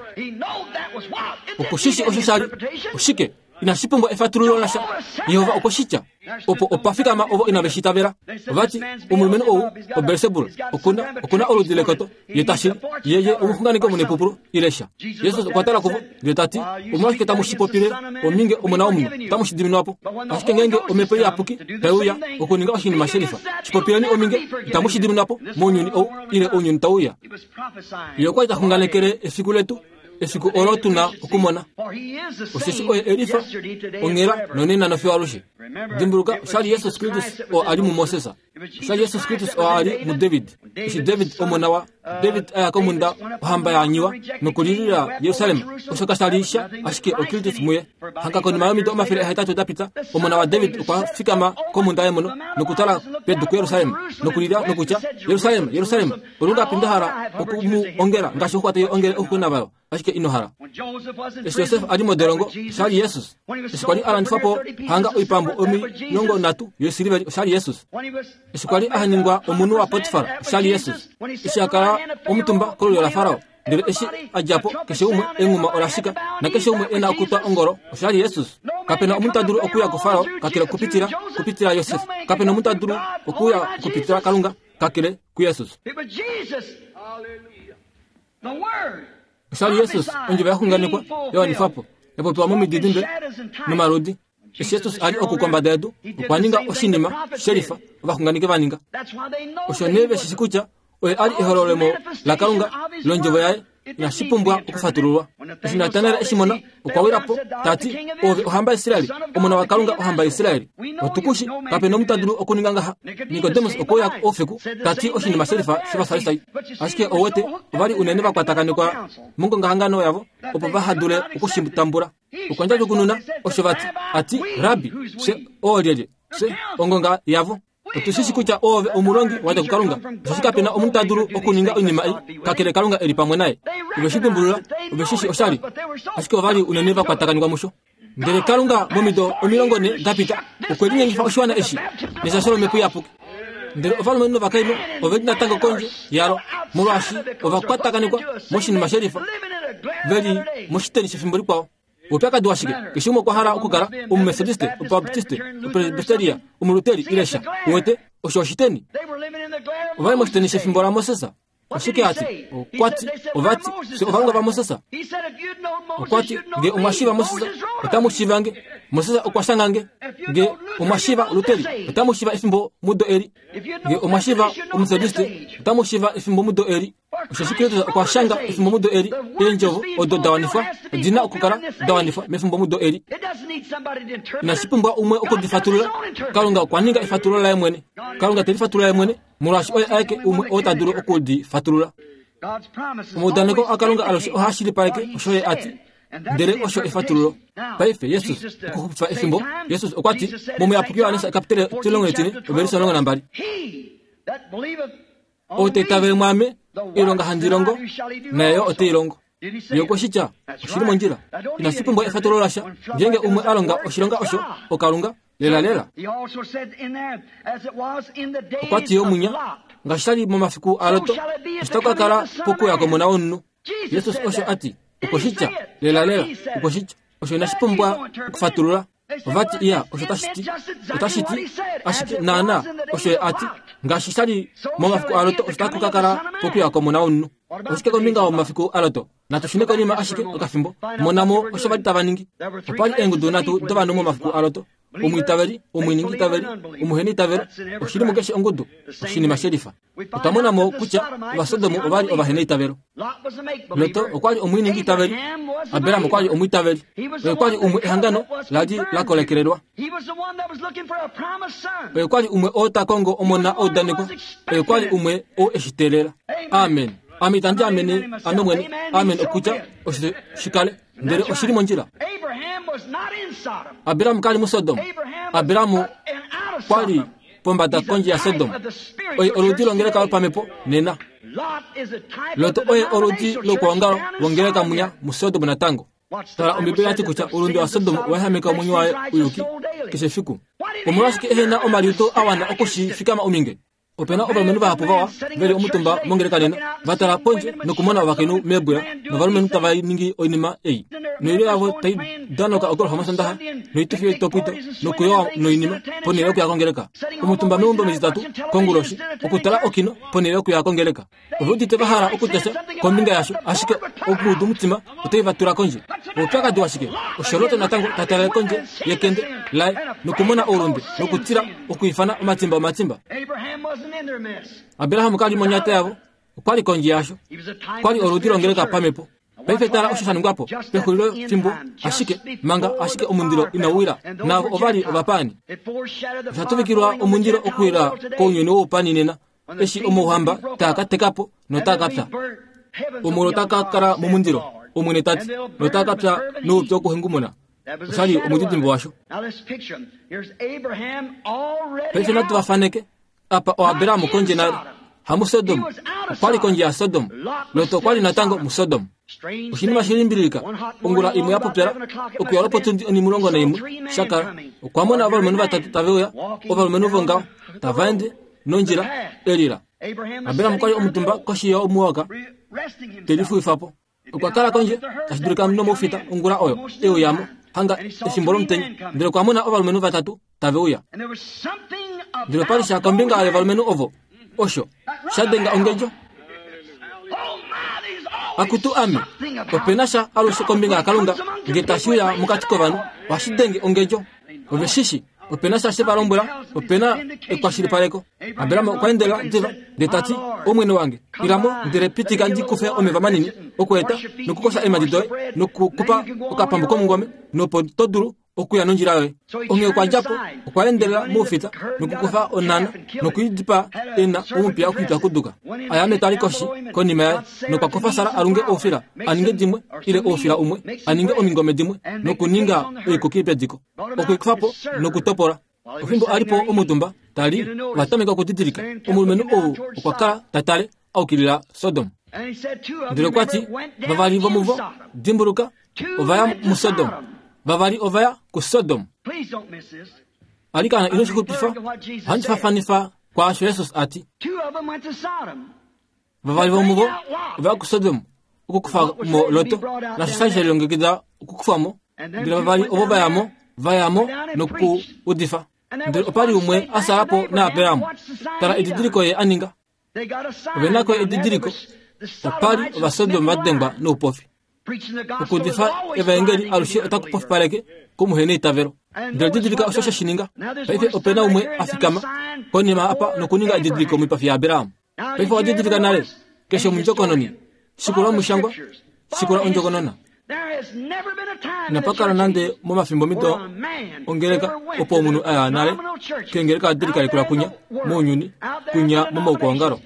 Oku shi shi osho sha li. Oshike? Inashi pumbwa efatululo lasha. Jehova okwe shi tya. Opo opa fikama ovo inave shi itavela. Ova ti, Omulumenhu ou, oBelsebul, oku na, oku na oludi lekoto. Ye ta shili. Ye, ye omuxunganeki omunepupulu, ile sha. Jesus okwa tala kuvo, ndele ta ti, Omolwashike tamu shi popile ominge Omona wOmunhu? Otamu shi diminwa po. Ashike ngeenge Omhepo Iyapuki tai uya okuninga oshinima shelifa, shi popileni ominge, itamu shi diminwa po mounyuni ou, ile ounyuni tau uya. Ye okwa li ta xunganekele efiku letu, efiku olo tu na okumona. Osheshi oye elifa, onghela nonena nofiyo alushe. Dimbuluka, osha li Jesus Kristus oo a li muMoses. Osha Jesus Kristus oo a li muDavid. Eshi David omona wa David a ya komhunda ohamba ya anyiwa nokulilila Jerusalem, osho kasha li sha ashike oKristus muye. Hanga konima yomido 800 da pita, omona waDavid okwa fikama komhunda yemono nokutala pedu kuJerusalem nokulila nokutya, Jerusalem, Jerusalem, olungapi nda hala oku mu ongela ngaashi oxuxwa tai ongele ouxuxwena vayo, ashike ino hala. Eshi Josef a li modolongo, osha li Jesus. Eshi kwa li a landifwa po hanga oipambu 30 yoisiliveli, osha li Jesus. Eshi kwa li a ningwa omunhu waPotifar, osha li Jesus. Eshi a kala omutumba kolulyo laFarao, ndele eshi a dja po, keshe umwe enghuma ola shika, nakeshe umwe e na okutwa ongolo, osha li Jesus. Kape na omunhu ta dulu okuya kuFarao kakele okupitila kupitila Josef. Kape na omunhu ta dulu okuya okupitila Kalunga kakele kuJesus. Osha li Jesus, ondjovo ya xunganekwa, ya wanifwa po, ya popiwa momididimbe nomaludi. Eshi Jesus a li oku kombada yedu, okwa ninga oshinima shelifa ovaxunganeki va ninga. Osho nee ve shi shi kutya oye a li ehololemo laKalunga londjovo yaye inashi pumbwa okufatululwa. Eshi Natanael e shi mona, okwa wila po, ta ti, Oove ohamba yaIsrael, Omona waKalunga, ohamba yaIsrael. Otu ku shi, kape na omunhu ta dulu okuninga ngaha. Nikodemus okwe uya oufiku, ta ti oshinima shelifa shOvafarisai. Ashike ou wete, ova li unene va kwatakanekwa mongongahangano yavo opo vaha dule oku shi tambula. Okwa ndjadjukununa osho va ti, a ti, Rabbi, fye oolyelye? Fye ongonga yavo. Otu shi shi kutya oove omulongi wa dja kuKalunga, osheshi kape na omunhu ta dulu okuninga oinima ei, kakele Kalunga e li pamwe naye. Ove shi dimbulula, ove shi shi oshali, ashike ova li unene va kwatakanifwa musho. Ndele Kalunga momido 40 da pita okwe linyengifa oshiwana eshi neshasho lOmhepo Iyapuki. Ndele ovalumenhu novakainhu ove li natango kondje yalo, molwaashi ova kwatakanekwa moshinima shelifa, ve li moshiteni shefimbo likwao. Oupyakadi washike? Keshe umwe okwa hala okukala Omumetodiste, Omubaptiste, Omupresbiteria, Omuluteri ile sha. Uwete, osho oshiteni. Ova li moshiteni shefimbo laMoses. Oshike a ti? Okwa ti, ova ti, fye ovalongwa vaMoses. Okwa ti, nge omwa shiiva Moses, otamu shiiva nge. Moses okwa shanga nge. Nge omwa shiiva Luteri, otamu shiiva efimbo mudo eli. Nge omwa shiiva Omumetodiste, otamu shiiva efimbo mudo eli. Osheshi Kristus okwa shanga efimbomudo eli, eendjovo odo da wanifwa odi na okukala da wanifwa mefimbomudo eli. Inashi pumbwa umwe oku di fatulula. Kalunga okwa ninga efatululo laye mwene. Kalunga te lifatulula ye mwene, molwaashi oye aeke umwe oo ta dulu oku di fatulula. Omaudaneko aKalunga alushe ohaa shilipaleke osho ye a ti, ndele osho efatululo. Paife Jesus okuxupifa efimbo, Jesus okwa ti mOmuyapuki Johannes ekapitele 14 ovelise 12. Ou ta itavele mwaame, oilonga handi longo, naye yo ote i longo. Ye okwe shi tya, oshi li mondjila. Inashi pumbwa efatululo lasha. Ngeenge umwe a longa oshilonga osho, oKalunga, lelalela. Okwa ti yo munya, ngaashi sha li momafiku aLot, osho taku ka kala pokuuya kOmona wOmunhu. Jesus osho a ti, okwe shi tya, lelalela, okwe shi tya. Osho inashi pumbwa okufatulula. Ova ti, Iya, osho otashi ti, otashi ti ashike naanaa osho ye a ti, ngaashi sha li momafiku aLot, osho taku ka kala pokuya kOmona wOmunhu. Oshike kombinga yomafiku aLot? Natu shune konima ashike okafimbo. Mona mo osho va li tava ningi. Opa li eengudu nhatu dovanhu momafiku aLot, omwiitaveli, omwiiningiitaveli, omuheniitavelo. Oshi li mukeshe ongudu, oshinima shelifa. Otwa mona mo kutya Ovasodomu ova li ovaheneitavelo. Lot okwa li omwiiningiitaveli. Abraham okwa li omwiitaveli. Oye okwa li umwe ehangano la li la kolekelelwa. Oye okwa li umwe oo ta kongo omona a udanekwa. Oye okwa li umwe oo e shi teelela. Amen. Ame itandi amene ame mwene. Amen okutya osho shi kale. Ndele oshi li mondjila. Abraham ka li muSodom. Abraham kwa li pombada kondje yaSodom. Oye oludi longeleka yopamhepo nena. Lot oye oludi lokwoongalo wongeleka munya muSodom natango. Tala, Ombibeli oya ti kutya oulunde waSodom owa ehameka omwenyo waye uyuki keshe efiku. Omolwashike ehe na omaliudo a wana oku shi fikama ominge? Ope na ovalumenhu vahapu vawa ve li omutumba mongeleka nena, va tala pondje nokumona ovakainhu meebwila novalumenhu tava ningi oinima ei. Noilyo yavo tai danoka ogolfa mOsondaxa, noitufi yoitopwito nokuyowa noinima ponhele yokuya kongeleka. Omutumba meumbo mEtitatu konguloshi okutala okino ponhele yokuya kongeleka. Ove udite va hala okutya sha kombinga yasho, ashike omuudumutima otai va tula kondje. Oupyakadi washike? Osho Lot natango ta talele kondje yekende laye nokumona oulunde nokutila okwiifana omatimba omatimba. Abraham ka li monyata yavo, okwa li kondje yasho. Okwa li oludi longeleka pamhepo. Paife tala osho sha ningwa po pexulilo fimbo ashike manga ashike omundilo inau wila, navo ova li ovapaani. Osha tuvikilwa omundilo okuwila kounyuni woupaani nena eshi omauhamba taa ka teka po notaa ka pya. Omulilo ota ka kala momundilo, Omwene ta ti, notaa ka pya noupyu wokuhengumuna. Osha li omudidimbe washo. Paife natu va faneke. Apa oAbraham kondje nale, hamuSodom, okwa li kondje yaSodom. Lot okwa li natango muSodom. Oshinima shi limbililika, ongula imwe ya popyala, okuya lwopotundi onimulongo naimwe, sha kala, okwa mona ovalumenhu vatatu tave uya, ovalumenhu vongaho, tava ende nondjila elila. Abraham okwa li omutumba koshi yomuwoka, te lifuwifa po. Okwa kala kondje, tashi dulika nomoufita ongula oyo, e uya mo, hanga efimbo lomutenya, ndele okwa mona ovalumenhu vatatu tave uya. Ndele opa li sha kombinga yovalumenhu ovo, osho sha denga ongedjo. Akutu ame, ope na sha alushe kombinga yaKalunga nge tashi uya mokati kovanhu, ohashi denge ongedjo. Ove shi shi, ope na sha she va lombwela, ope na ekwashilipaleko. Abraham okwa endela diva ndele ta ti, Omwene wange, ila mo ndele pitika ndi kufe omeva manini okweeta nokukosha eemhadi doye nokukupa okapambu komungome, nopo to dulu okuya nondjila yoye. Onghee okwa dja po, okwa endelela moufita nokukufa onhana noku i dipaa e na omupiya okwiipyakuduka. A ya metwali koshi konima yaye nokwa kufa Sara a lunge oufila a ninge dimwe ile oufila umwe a ninge omingome dimwe nokuninga oikuki pediko. Okwe i kufa po nokutopola. Ofimbo a li po omutumba ta li, ova tameka okudidilika omulumenhu ou okwa kala ta tale a ukilila Sodom. Ndele okwa ti, vavali vomuvo, dimbuluka, ova ya muSodom. Vavali ova ya kuSodom. Alikana ino shi xupifa, ohandi faafanifa kwaasho Jesus a ti. Vavali vomuvo ova ya kuSodom okukufa mo Lot, naasho sha li she lilongekida okukufwa mo. Ndele vavali ovo va ya mo, va ya mo nokuudifa. Ndele opa li umwe a sala po naAbraham. Tala edidiliko ye a ninga. Ove na ko edidiliko. Opa li Ovasodom va dengwa noupofi. Okuudifa evaengeli alushe otaku pofipaleke komuheneitavelo. Ndele didilika osho she shi ninga. Paife ope na umwe a fikama konima apa nokuninga edidiliko moipafi yaAbraham. Paife owa didilika nale keshe omundjokononi. Shikula omushangwa, shikula ondjokonona. Inapa kala nande momafimbo mido ongeleka opo omunhu a ya nale keengeleka adi likalekelwa kunya mounyuni kunya momaukwaongalo.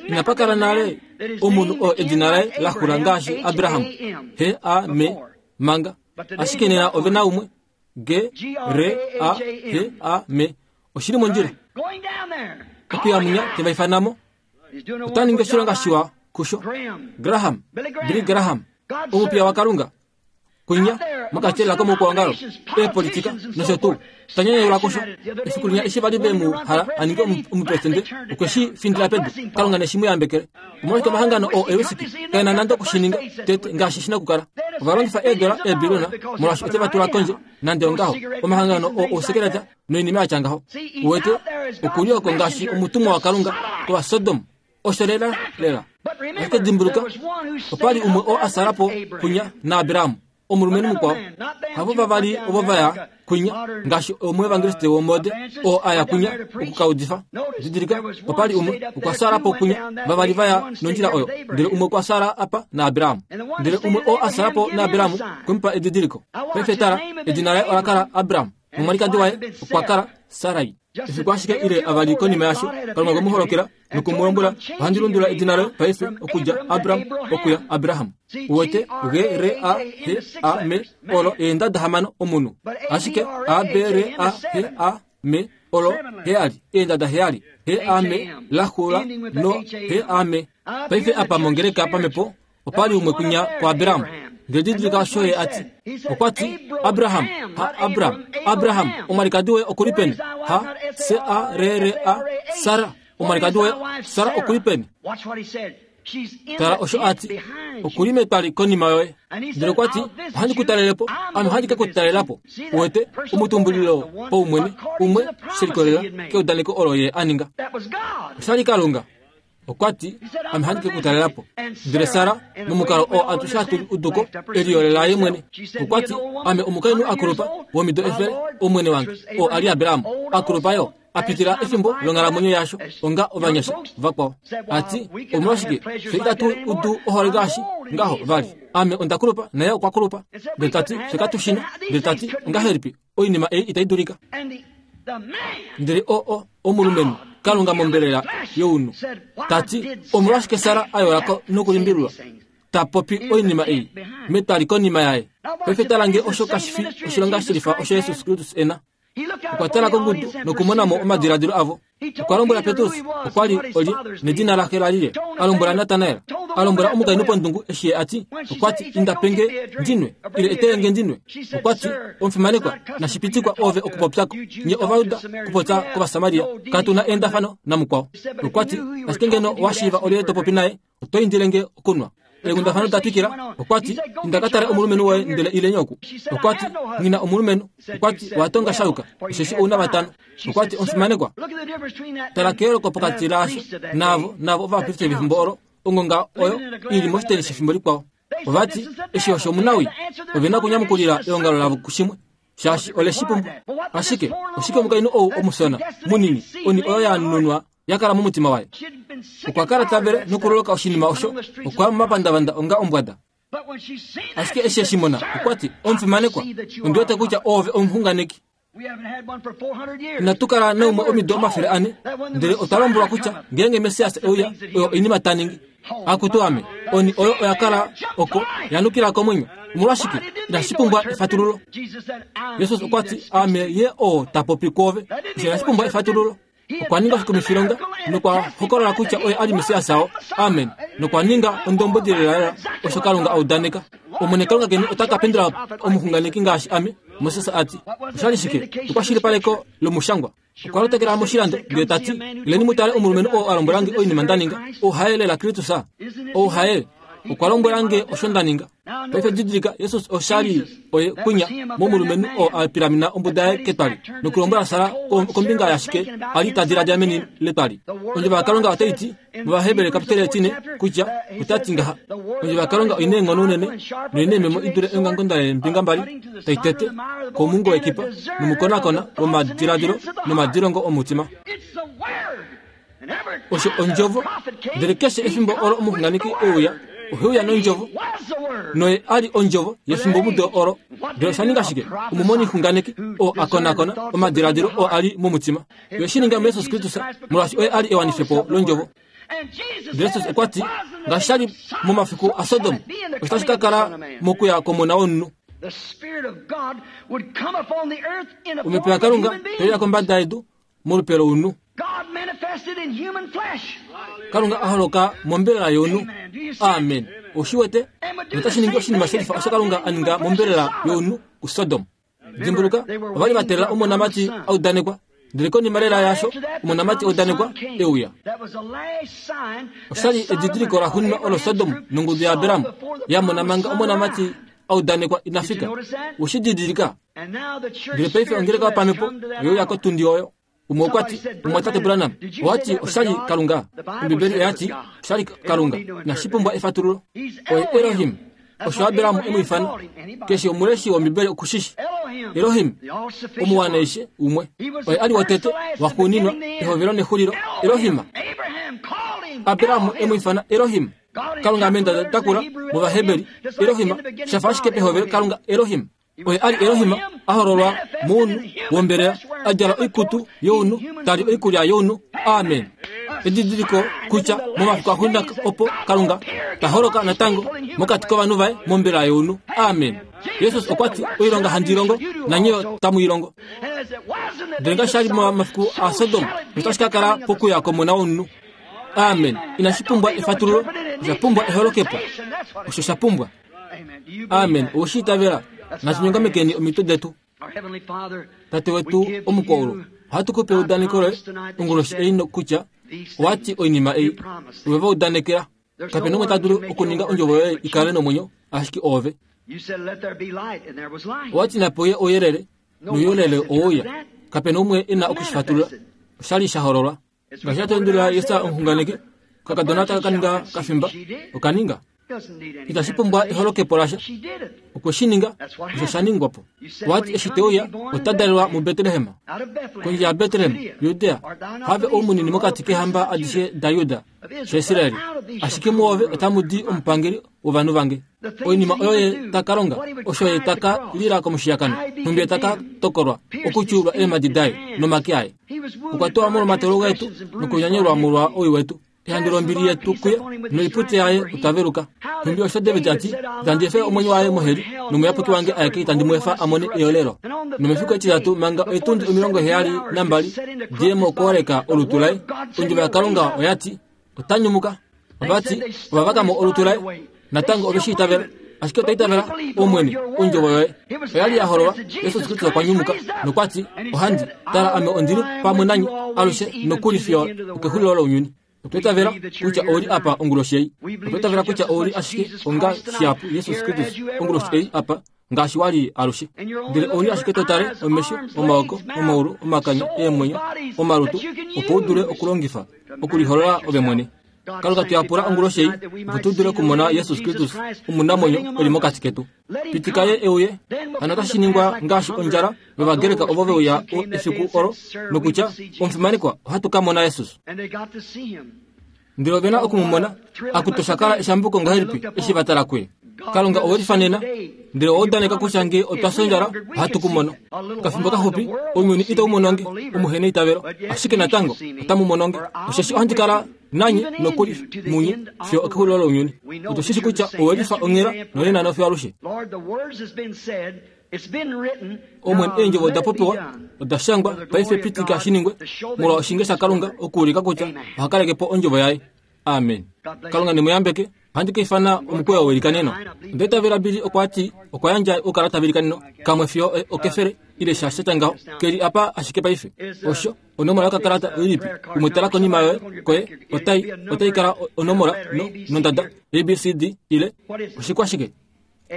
Inapa kala nale omunhu oo edina laye la xula ngaashi Abraham, he a me manga. Ashike nena ove na umwe G R A H A M. Oshi li mondjila. Okuya munya te va ifana mo. Ota ningi oshilonga shiwa kusho. Graham, Billy Graham, omupiya waKalunga, kunya mokati lela komoukwaongalo, eepolitika nosho tuu. Ta nyanyaula kusho. Efiku linya eshi va li ve mu hala a ninge omupresidente, okwe shi findila pedu. Kalunga ne shi mu yambekele. Omolwashike omahangano oo eusiki kae na nande oku shi ninga tete ngaashi shi na okukala? Ova longifa eedola eebiliyona molwaashi ote va tula kondje nande ongaho. Omahangano oo ousekeleta noinima ya tya ngaho. Uwete, oku li oko ngaashi omutumwa waKalunga kOvasodom. Osho lela lela. Ashike dimbuluka, opa li umwe oo a sala po kunya naAbraham. Omulumenhu mukwao. Havo vavali ovo va ya kwinya, ngaashi omuevangeliste womode oo a ya kwinya oku ka udifa. Didilika, opa li umwe okwa fyaala po kwinya, vavali va ya nondjila oyo, ndele umwe okwa fyaala apa naAbraham. Ndele umwe oo a fyaala po naAbraham okwe mu pa edidiliko. Paife tala, edina laye ola kala Abram, nomwalikadi waye okwa kala Sarai. Efiku ashike ile avali konima yasho, Kalunga okwe mu holokela noku mu lombwela, Ohandi lundulula edina loye paife okudja Abram okuya Abraham. Uwete, G R A H A M olo eendada hamano omunhu. Ashike A B R A H A M olo heyali, eendada heyali. H A M la xula no H A M. Paife apa mongeleka pamhepo Opa li umwe kwinya kuAbraham. Ndele didilika osho ye a ti. Okwa ti, Abraham, ha Abram, Abraham, omwalikadi woye oku li peni? Ha, S-A-R-R-A, Sara. Omwalikadi woye Sara oku li peni? Tala osho a ti, Oku li metwali konima yoye. Ndele okwa ti, Ohandi ku talele po, ame ohandi ke ku talela po. Uwete, omutumbulilo paumwene umwe she likolelela keudaneko olo ye a ninga. Osha li Kalunga. Okwa ti, Ame ohandi ke ku talela po. Ndele Sara, momukalo oo atushe hatu udu ko, e liyolela ye mwene. Okwa ti, Ame omukainhu a kulupa, womido 100, omwene wange, oo a li Abraham, a kulupa yo. a pitila efimbo longhalamwenyo yasho onga ovanyasha vakwao a ti omolwashike fye itatu udu ohole ngaashi ngaho vali ame onda kulupa naye okwa kulupa ndele ta ti fye katu shina ndele ta ti ongahelipi oinima ei itai dulika ndele o omulumenhu kalunga mombelela younhu ta ti omolwashike sara a yola ko nokulimbililwa ta popi oinima ei metwali konima yaye paife tala nge osho kashi fi oshilonga shilifa osho jesus kristus e na Okwa tala kongudu nokumona mo omadiladilo avo. Okwa lombwela Petrus okwa li olye nedina laxe la li lye. A lombwela Natanael. A lombwela omukainhu pondungu eshi ye a ti, okwa ti, Inda pe nge ndi nwe, ile etele nge ndi nwe. Okwa ti, Omufimanekwa, nashi pitikwa ove okupopya ko. Nye Ovajuda kupopya kOvasamaria, katu na eendafano namukwao. Okwa ti, Ashike ngeno owa shiiva olyelye to popi naye, oto indile nge okunwa. Eenghundafana da twikila, okwa ti, Inda ka tale omulumenhu woye ndele ileni oku. Okwa ti, Nghi na omulumenhu. Okwa ti, Owa tonga sha yuka, osheshi ou na vatano. Okwa ti, Omufimanekwa, tala keyooloko pokati laasho naavo, naavo ovapristeli vefimbo olo, ongonga oyo i li moshiteni shefimbo likwao. Ova ti, Eshi osho omunawii. Ove na okunyamukulila eongalo lavo kushimwe, shaashi ole shi pumbwa. Ashike oshike omukainhu ou omusona, munini, oni oyo ya nunwa ya kala momutima waye. Okwa kala ta vele nokuloloka oshinima osho, okwa ya momapandavanda onga ombwada. Ashike eshi e shi mona, okwa ti, Omufimanekwa, ondi wete kutya oove omuxunganeki. Inatu kala naumwe omido 400, ndele otwa lombwelwa kutya ngeenge Messias e uya, oyo oinima ta ningi. Akutu ame, oni oyo oya kala oko, ya nukila komwenyo. Omolwashike inashi pumbwa efatululo? Jesus okwa ti, Aame ye oo ta popi kwoove. Osho inashi pumbwa efatululo. Okwa ninga oshikumifilonga nokwa hokolola kutya oye a li Messias oo. Amen. Nokwa ninga ondombwedi lelalela osho Kalunga a udaneka. Omwene Kalunga keni ota ka pendula omuxunganeki ngaashi ame, Moses a ti. Osha li shike? Ekwashilipaleko lomushangwa. Okwa lotekela moshilando ndele ta ti, Ileni mu tale omulumenhu oo a lombwela nge oinima nda ninga. Ou haye lela Kristus? Ou haye? Okwa lombwela nge osho nda ninga. Paife didilika, Jesus osha li oye kwinya momulumenhu oo a pilamina ombuda yaye ketwali nokulombwela Sara kombinga yashike a li ta diladila meni letwali. Ondjovo yaKalunga otai ti mOvaheberi kapiteli etine kutya ota ti ngaha, Ondjovo yaKalunga oi na eenghono unene noi na eememo i dule eongamukonda leembinga mbali tai tete komungo wekipa nomukonakona womadiladilo nomadilongo omutima. Osho ondjovo. Ndele keshe efimbo olo omuxunganeki e uya, ohe uya nondjovo. Noye a li ondjovo yefimbomudo olo. Ndele osha ninga shike? Omumonixunganeki oo a konakona omadiladilo oo a li momutima. Ye shi ninga muJesus Kristus, molwaashi oye a li ewanifepo londjovo. Jesus okwa ti, ngaashi sha li momafiku aSodom, osho tashi ka kala mokuya kOmona womunhu. Omhepo yaKalunga tai uya kombada yedu molupe lounhu. Kalunga a holoka mombelela younhu. Amen. Ou shi wete? Notashi ningi oshinima shelifa osho Kalunga a ninga mombelela younhu kuSodom. Dimbuluka, ova li va teelela omonamati a udanekwa, ndele konima lela yaasho, omonamati a udanekwa e uya. Osha li edidiliko laxuuninwa olo Sodom nongudu yaAbram ya mona manga omonamati a udanekwa ina fika. Ou shi didilika? Ndele paife ongeleka yopamhepo oye uya kotundi oyo. Umwe okwa ti, Omumwatate Branham, owa ti osha li Kalunga? Ombibeli oya ti osha li Kalunga. Inashi pumbwa efatululo. Oye Elohim. Osho Abraham e mu ifana. Keshe omuleshi wOmbibeli oku shi shi. Elohim, omuwanaishe umwe. Oye a li wotete, waxuuninwa, ehovelo nexulilo. Elohim. Abraham e mu ifana Elohim. Kalunga ame nda takula mOvaheberi, Elohim, sha fa ashike pehovelo Kalunga Elohim. Oye a li Elohim a hololwa mounhu wombelela, a djala oikutu younhu, ta li oikulya younhu. Amen. Edidiliko kutya momafiku axuuninwa opo Kalunga ta holoka natango mokati kovanhu vaye mombelela younhu. Amen. Jesus okwa ti, Oilonga handi longo, nanye yo tamu i longo. Ndele ngaashi sha li momafiku aSodom, notashi ka kala pokuya kOmona wOmunhu. Amen. Inashi pumbwa efatululo, osha pumbwa eholokepo. Osho sha pumbwa. Amen. Owe shi itavela? Natu nyongamekeni omitwe detu. Tate wetu omukwaulu, ohatu ku pe eudaneko loye onguloshi ei nokutya Owa ti oinima ei, ove va udanekela. Kape na umwe ta dulu okuninga ondjovo yoye i kale nomwenyo, ashike oove. Owa ti nape uye ouyelele, nouyelele oweuya. Kape na umwe e na oku shi fatulula. Osha li sha hololwa. Ngaashi sha tendulila Jesaja omuxunganeki, okakadona taka ka ninga kafimba, oka ninga. Itashi pumbwa eholokepo lasha. Okwe shi ninga, osho sha ningwa po. Owa ti eshi te uya, ota dalelwa muBetlehem. Kondje yaBetlehem, Judea, have ou munini mokati keehamba adishe daJuda, shaIsrael. Ashike muove otamu di omupangeli wovanhu vange. Oinima oyo ye ta ka longa, osho ye ta ka lila komushiyakano, nhumbi ye ta ka tokolwa, okutyuulwa eemhadi daye nomake aye. Okwa tuwa molwomatolo getu nokunyanyelwa molwa owii wetu. Ehandu lombili yetu kuye noipute yaye otwa veluka. Nhumbi osho David a ti, Itandi efe omwenyo waye moheli, nomuyapuki wange aeke itandi mu efa a mone eyolelo. Nomefiku etitatu manga oitundi 72 diye mokwooleka olutu laye, ondjovo yaKalunga oya ti, Ota nyumuka. Ova ti, ova vaka mo olutu laye. Natango ove shi itavela. Ashike otwa itavela, Omwene, ondjovo yoye oya li ya hololwa. Jesus Kristus okwa nyumuka nokwa ti, Ohandi, tala ame ondi li pamwe nanye alushe nokuli fiyo okexulilo lounyuni. Otwa itavela kutya ou li apa onguloshi ei. Otwa itavela kutya ou li ashike onga shihapu Jesus Kristus onguloshi ei apa ngaashi wa li alushe. Ndele ou li ashike to tale omesho, omaoko, omaulu, omakanya, eemwenyo, omalutu, opo u dule okulongifa okuliholola ove mwene. Kalunga tu yapula onguloshi ei opo tu dule okumona Jesus Kristus omunamwenyo e li mokati ketu. Pitika ye e uye. Hano otashi ningwa ngaashi ondjala yOvagreka ovo ve uya efiku olo nokutya, Omufimanekwa, ohatu ka mona Jesus. Ndele ove na oku mu mona. Akutu osha kala eshambuko ngahelipi eshi va tala kuye. Kalunga owe lifa nena, ndele owa udaneka kutya nge otwa fya ondjala, ohatu ku mono. Okafimbo kaxupi, ounyuni itau mono nge, omuheneitavelo, ashike natango otamu mono nge, osheshi ohandi kala nanye nokuli munye fiyo okexulilo lounyuni. Otu shi shi kutya owe lifa onghela nonena nofiyo alushe. Omwene, eendjovo oda popiwa, oda shangwa, paife pitika shi ningwe, molwa oshinge shaKalunga okuulika kutya oha kaleke po ondjovo yaye. Amen. Kalunga ne mu yambeke. Ohandi ka ifana omukweyo welikaneno. Onda itavela Billy okwa ti okwa yandja oukalata velikaneno kamwe fiyo okefele ile sha sha tya ngaho. Ke li apa ashike paife. Osho, onomola yokakalata oilipi? Umwe tala konima yoye, koye, otai, otai kala onomola no, nondada, A, B, C, D, ile oshikwashike?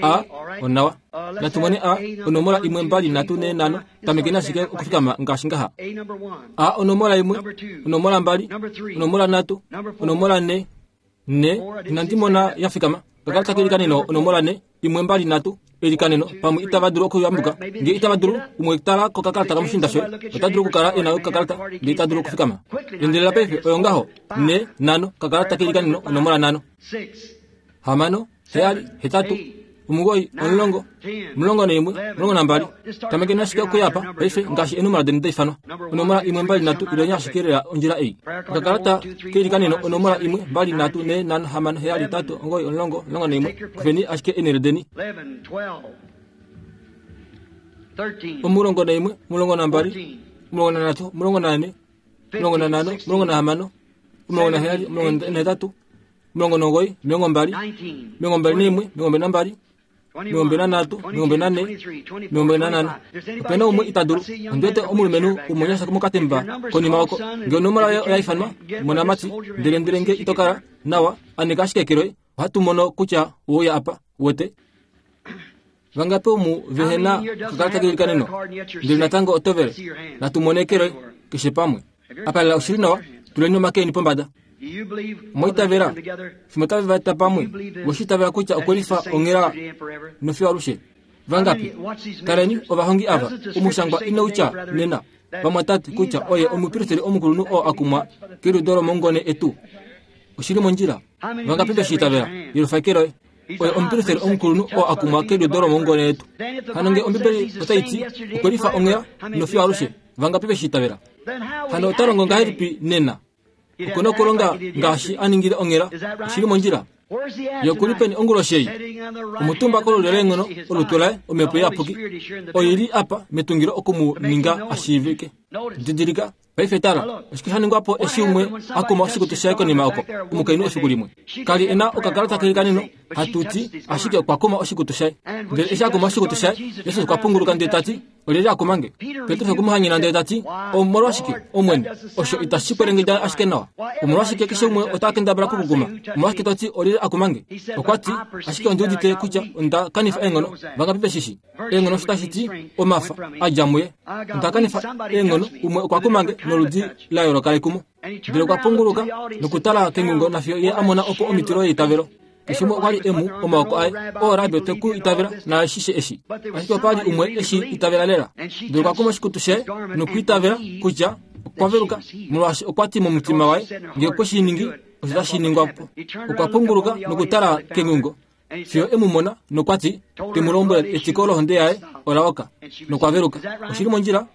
A, onawa. Natu mone A, onomola imwe, mbali, nhatu, ne, nhano. Tamekeni ashike okufikama ngaashi ngaha. A, onomola imwe, onomola mbali, onomola nhatu, onomola ne, ne. Inandi mona ya fikama. Okakalata kelikaneno onomola ne, imwe, mbali, nhatu, elikaneno. Pamwe itava dulu okuyambuka. Nge itava dulu, umwe tala kokakalata kamushinda shoye. Ota dulu okukala e na okakalata, ndele ita dulu okufikama. Endelela paife, oyo ngaho. Ne, nhano, okakalata kelikaneno onomola nhano. Hamano, heyali, hetatu, omugoi, omulongo, 11, 12. Tamekeni ashike okuya apa paife ngaashi eenumola deni da ifanwa. Onomola imwe, mbali, nhatu, ileni ashike lela ondjila ei. Okakalata keilikaneno onomola imwe, mbali, nhatu, ne, nhano, hamano, heyali, hetatu, omugoi, omulongo, 11, kufeni ashike eenhele deni. 11, 12, 13, 14, 15, 16, 17, 18, 19, 20, 21, 22, 23, 24, 25. Ope na umwe ita dulu. Ondi wete omulumenhu womunyasha mokatemba konima oko. Nge onomola yoye oya ifanwa, monamati, ndele ndele nge ito kala nawa, aneka ashike eke loye. Ohatu mono kutya owe uya apa, uwete. Vangapi omu vehe na okakalata keilikaneno, ndele natango oto vele? Natu mone eke loye, keshe pamwe. Apa lela oshi li nawa, tuleni omake eni pombada. Omwa itavela? Fimbo tave va eta pamwe, we shi itavela kutya okwe lifa onghela nofiyo alushe? Vangapi? Taleni ovahongi ava, omushangwa inau tya nena, vamwatate, kutya oye omupristeri omukulunhu oo a kumwa keliudo lomongone etu. Oshi li mondjila. Vangapi ve shi itavela? Yelufa eke loye. Oye omupristeri omukulunhu oo a kumwa keliudo lomongone etu. Hano nge Ombibeli otai ti okwe lifa onghela nofiyo alushe, vangapi ve shi itavela? Hano ota longo ngahelipi nena? Oku na okulonga ngaashi a ningile onghela. Oshi li mondjila. Ye oku li peni onguloshi ei? Omutumba kolulyo leenghono, olutu laye, Omhepo Iyapuki, oi li apa metungilo oku mu ninga a shiivike. Didilika, Paife tala, oshike sha ningwa po eshi umwe a kuma oshikutu shaye konima oko, omukainhu efiku limwe? Ka li e na okakalata keilikaneno, hatu ti, ashike okwa kuma oshikutu shaye. Ndele eshi a kuma oshikutu shaye, Jesus okwa punguluka ndele ta ti, Olyelye a kuma nge? Petrus okwe mu hanyena ndele ta ti, Omolwashike, Omwene, osho itashi kwelengedja ashike nawa? Omolwashike keshe umwe ota kendabala okukuguma? Omolwashike to ti olyelye a kuma nge? Okwa ti, Ashike ondi udite kutya onda kanifa eenghono. Vangapi ve shi shii? Eenghono osho tashi ti omafa a dja muye. Onda kanifa eenghono, umwe okwa kuma nge noludi la yooloka lekumo. Ndele okwa punguluka nokutala kengungo nafiyo ye a mona opo omitilo yeitavelo. Keshe umwe okwa li e mu omaoko aye. Oo Rabbi otwe ku itavela naashishe eshi. Ashike opa li umwe e shi itavela lela. Ndele okwa kuma oshikutu shaye nokwiitavela kutya okwa veluka, molwaashi okwa ti momutima waye, Nge okwe shi ningi, osho tashi ningwa po. Okwa punguluka nokutala kengungo fiyo e mu mona nokwa ti, te mu lombwela etiko lohonde yaye ola oka nokwa veluka. Oshi li mondjila?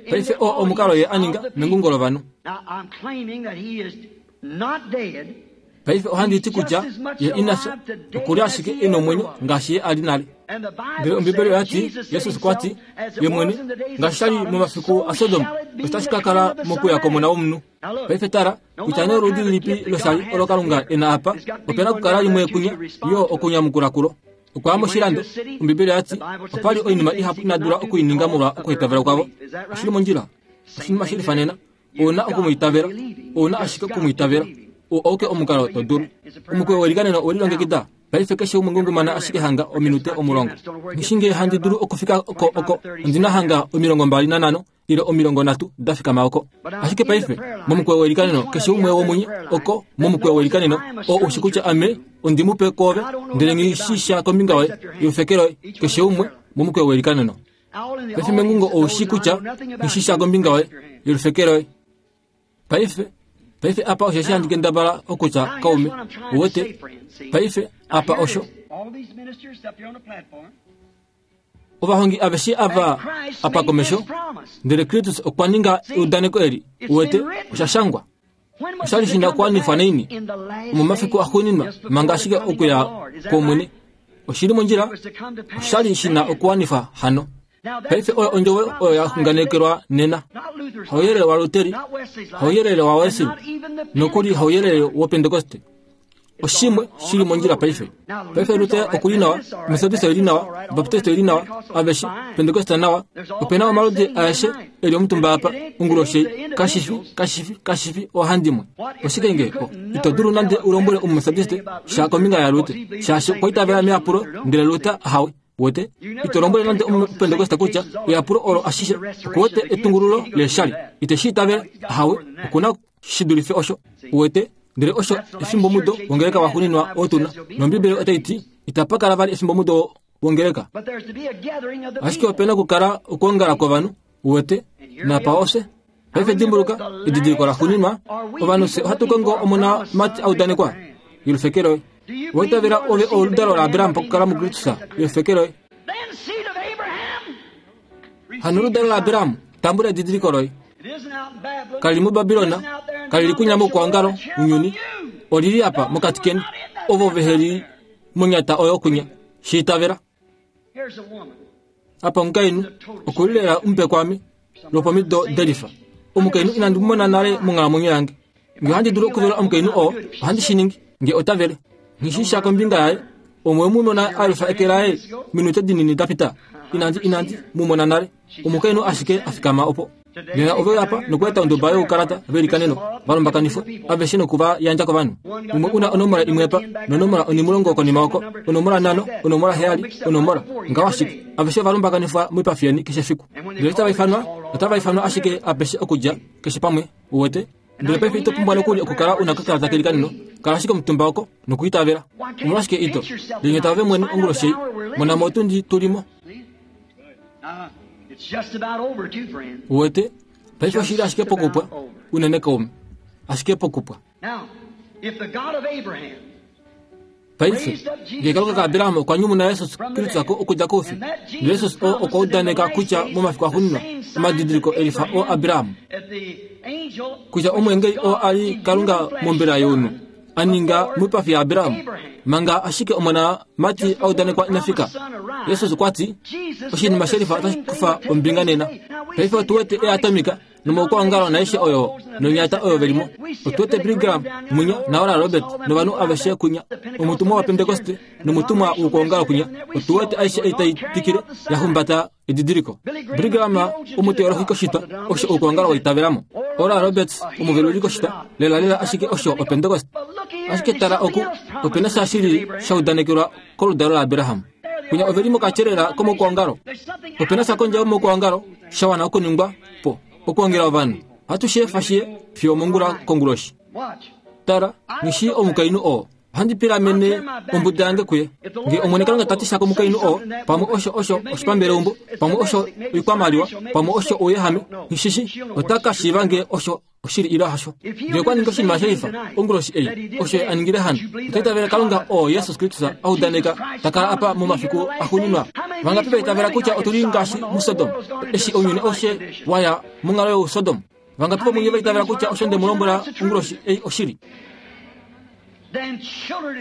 Paife oo omukalo ye a ninga mengungo lovanhu. Paife ohandi ti kutya ye ina fya, oku li ashike e nomwenyo ngaashi ye a li nale. Ndele Ombibeli oya ti, Jesus okwa ti, Ye mwene, ngaashi sha li momafiku aSodom, otashi ka kala mokuya kOmona wOmunhu. Paife tala, kutya nee oludi lilipi loshali olo Kalunga e na apa, ope na okukala limwe kunya yo okunyamukula kulo. Okwa ya moshilando, Ombibeli oya ti, opa li oinima ihapu ina dula oku i ninga molwa okuitavela kwavo. Oshi li mondjila. Oshinima shi lifanena. Ou na oku mu itavela. Ou na ashike oku mu itavela. Oo auke omukalo to dulu. Omukweyo welikaneno owe lilongekida. Paife keshe umwe ngungumana ashike hanga ominute 10. Nghi shii ngee handi dulu okufika oko, oko. Ondi na hanga 25 ile 30 da fikama oko. Ashike paife, momukweyo welikaneno, keshe umwe womunye oko momukweyo welikaneno, oo u shi kutya ame ondi mupe kwoove, ndele nghi shii sha kombinga yoye, youfekelo yoye, keshe umwe momukweyo welikaneno. Paife mengungo ou shi kutya nghi shii sha kombinga yoye, yolufekelo yoye. Paife, paife apa osho eshi handi kendabala okutya, kaume. Uwete? Paife, apa osho. Ovahongi aveshe ava apa komesho, ndele Kristus okwa ninga eudaneko eli. Uwete, osha shangwa. Osha li shi na okuwanifwa naini? Omomafiku axuuninwa, manga ashike okuya kwOmwene. Oshi li mondjila? Osha li shi na okuwanifwa hano. Paife oyo ondjovo oyo ya xunganekelwa nena. Hauyelele waLuteri, hauyelele waWesley, nokuli hauyelele wOpentekoste. Oshimwe shi li mondjila paife. Paife Luther oku li nawa, Methodist oi li nawa, Baptist oi li nawa, aveshe, Pentecost nawa. Ope na omaludi aeshe e li omutumba apa, onguloshi ei. Kashi fi, kashi fi, kashi fi oohandimwe. Oshike nge o, ito dulu nande u lombwele Omumethodist sha kombinga yaLuther, shaashi okwa itavela meyapulo, ndele Luther ahawe. Wete, ito lombwele nande Omupentekoste kutya eyapulo olo ashishe, okuwete etungululo leeshali. Ite shi itavele, ahawe, oku na shi dulife osho. Uwete? Ndele osho efimbomudo wongeleka waxuuninwa oo tu na. NOmbibeli otai ti, Itapa kala vali efimbomudo wongeleka. Ashike ope na okukala okwoongala kwovanhu, uwete, napa ofye. Paife dimbuluka, edidiliko laxuuninwa, ovanhu fye ohatu kongo omonamati a udanekwa, yolufeke loye. Owa itavela ove oludalo laAbraham pakukala muKristus, yolufeke loye. Hano oludalo laAbraham, tambula edidiliko loye. Kali li muBabilon, kali li kunya moukwangalo unyuni, oli li apa mokati keni, ovo vehe li monyata oyo kunya. Shi itavela. Apa omukainhu oku li lela omupe kwaame lwopomido delifa. Omukainhu inandi mu mona nale monghalamwenyo yange. Nge ohandi dulu okuvela omukainhu oo, ohandi shi ningi, nge ota vele. Nghi shii sha kombinga yaye. Omwe mu mona a lufa eke laye minute dinini da pita? Inandi, inandi mu mona nale. Omukainhu ashike a fikama opo. Nena ove uya apa nokweeta onduba youkalata velikaneno va lumbakanifwa aveshe noku va yandja kovanhu. Umwe u na onomola imwe apa, nonomola onhimulongo konima oko, onomola nhano, onomola heyali, onomola, ngaho ashike. Aveshe ova lumbakanifwa moipafi yeni keshe efiku. Ndele otava ifanwa, otava ifanwa ashike apeshe okudja keshe pamwe, uwete. Ndele paife ito pumbwa nokuli okukala u na okakalata kelikaneno, kala ashike omutumba oko nokuitavela. Omolwashike ito linyeta ove mwene onguloshi ei? Mona mo otundi tu li mo. Uwete, paife oshi li ashike pokupwa, unene kaume. Ashike pokupwa. Paife, ngee Kalunga kaAbraham okwa nyumuna Jesus Kristus okudja koufi, Jesus oo okwa udaneka kutya momafiku axuuninwa, omadidiliko elifa oo Abraham, kutya omweengeli oo a li Kalunga mombela younhu, a ninga moipafi yaAbraham manga ashike omonamati a udanekwa ina fika. Jesus okwa ti, Oshinima shelifa otashi kufa ombinga nena. Paife otu wete eatomika nomaukwaongalo naaishe oyo nonyata oyo ve li mo. Otu wete Billy Graham munya naOral Robert novanhu aveshe kunya, omutumwa waPentekoste nomutumwa woukwaongalo kunya. Otu wete aishe ei tai twikile ya humbata edidiliko. Billy Graham omuteolohi koshitwa osho oukwaongalo wa itavela mo. Oral Roberts omuveluli koshitwa, lelalela ashike osho Opentekoste. Ashike tala oku, ope na sha shili sha udanekelwa koludalo laAbraham. Kunya ove li mokatyelela komoukwaongalo. Ope na sha kondje yomoukwaongalo sha wana okuningwa po okwoongela ovanhu. Ohatu shi efa shiye fiyo omongula konguloshi. Tala, nghi shii omukainhu oo. Ohandi pilamene ombuda yange kuye. Nge Omwene Kalunga ta ti sha komukainhu oo, pamwe osho osho oshipambeleumbo, pamwe osho oikwamaliwa, pamwe osho ouyehame, nghi shi shii, ota ka shiiva nge osho oshili ile hasho. Nge okwa ningi oshinima shelifa onguloshi ei, osho ye a ningile hano, ota itavela Kalunga oo Jesus Kristus a udaneka ta kala apa momafiku axuuninwa. Vangapi va itavela kutya otu li ngaashi muSodom, eshi ounyuni aushe wa ya monghalo youSodom? Vangapi vomunye va itavela kutya osho nde mu lombwela onguloshi ei oshili?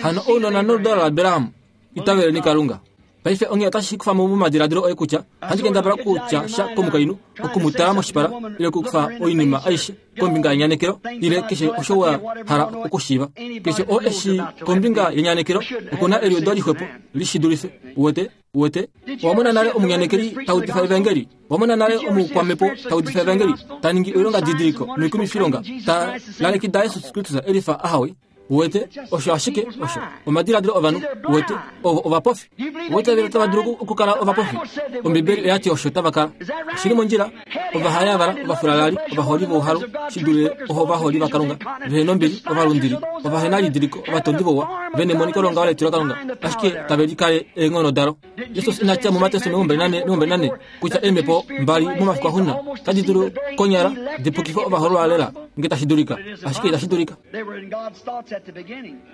Hano ounona noludalo laAbraham, itaveleni Kalunga. Paife onghee otashi kufa mo momadiladilo oye kutya ohandi kendabala okutya sha komukainhu, oku mu tala moshipala ile okukufa oinima aishe kombinga yenyanekelo ile keshe osho wa hala okushiiva. Keshe oo e shii kombinga yenyanekelo oku na eliudo lixwepo li shi dulife. Uwete? Uwete? Owa mona nale omunyanekeli ta udifa evangeli? Owa mona nale omukwamhepo ta udifa evangeli, ta ningi oilongadidiliko noikumifilonga, ta lalekida Jesus Kristus e lifa ahawe? Uwete, osho ashike osho omadiladilo ovanhu. Uwete, ovo ovapofi. Ovaitaveli otava dulu okukala ovapofi. Ombibeli oya ti osho tava kala. Oshi li mondjila. Ovahayavala, ovafulalali, ovaholi vouhalu, shi dule ovaholi vaKalunga, vehe nombili, ovalundili, ovahenalidiliko, ovatondi vouwa, ve nemoniko longaho letilo Kalunga, ashike tave likale eenghono dalo. Jesus ina tya muMateus 24 kutya eemhepo mbali momafiku axuuninwa otadi dulu konyala di pukife ovahoololwa lela nge tashi dulika, ashike itashi dulika.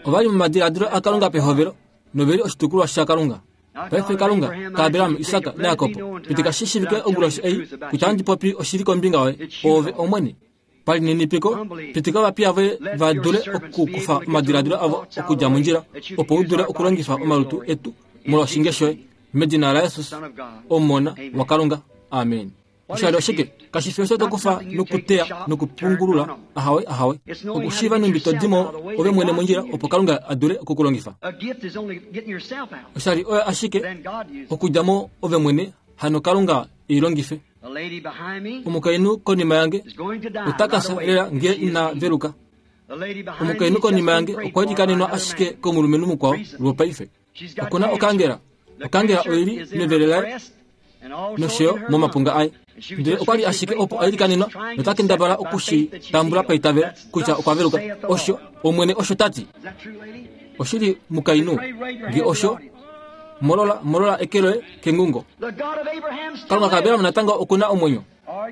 Ova li momadiladilo aKalunga pehovelo nove li oshitukulwa shaKalunga. Paife Kalunga kaAbraham, Isak naJakob, pitika shi shiivike onguloshi ei kutya ohandi popi oshili kombinga yoye, oove Omwene. Palininipiko, pitika ovapiya voye va dule okukufa omadiladilo avo okudja mondjila, opo u dule okulongifa omalutu etu molwoshinge shoye. Medina laJesus, Omona waKalunga. Amen. Oshali oshike? Kashi fi osho to kufa nokuteya nokupungulula. Ahawe, ahawe. Okushiiva nhumbi to di mo ove mwene mondjila opo Kalunga a dule oku ku longifa. Oshali oyo ashike okudja mo ove mwene, hano Kalunga e i longife. Omukainhu konima yange ota ka fya lela ngee ina veluka. Omukainhu konima yange okwa ilikanenwa ashike komulumenhu mukwao lwopaife. Oku na okangela. Okangela oi li mevele laye nosho yo momapunga aye. Ndele okwa li ashike opo a ilikanenwa nota kendabala oku shi tambula paitavelo kutya okwa veluka. Osho, Omwene osho ta ti. Oshili mukainhu, nge osho, molola, molola eke loye kengungo. Kalunga kaAbraham natango oku na omwenyo.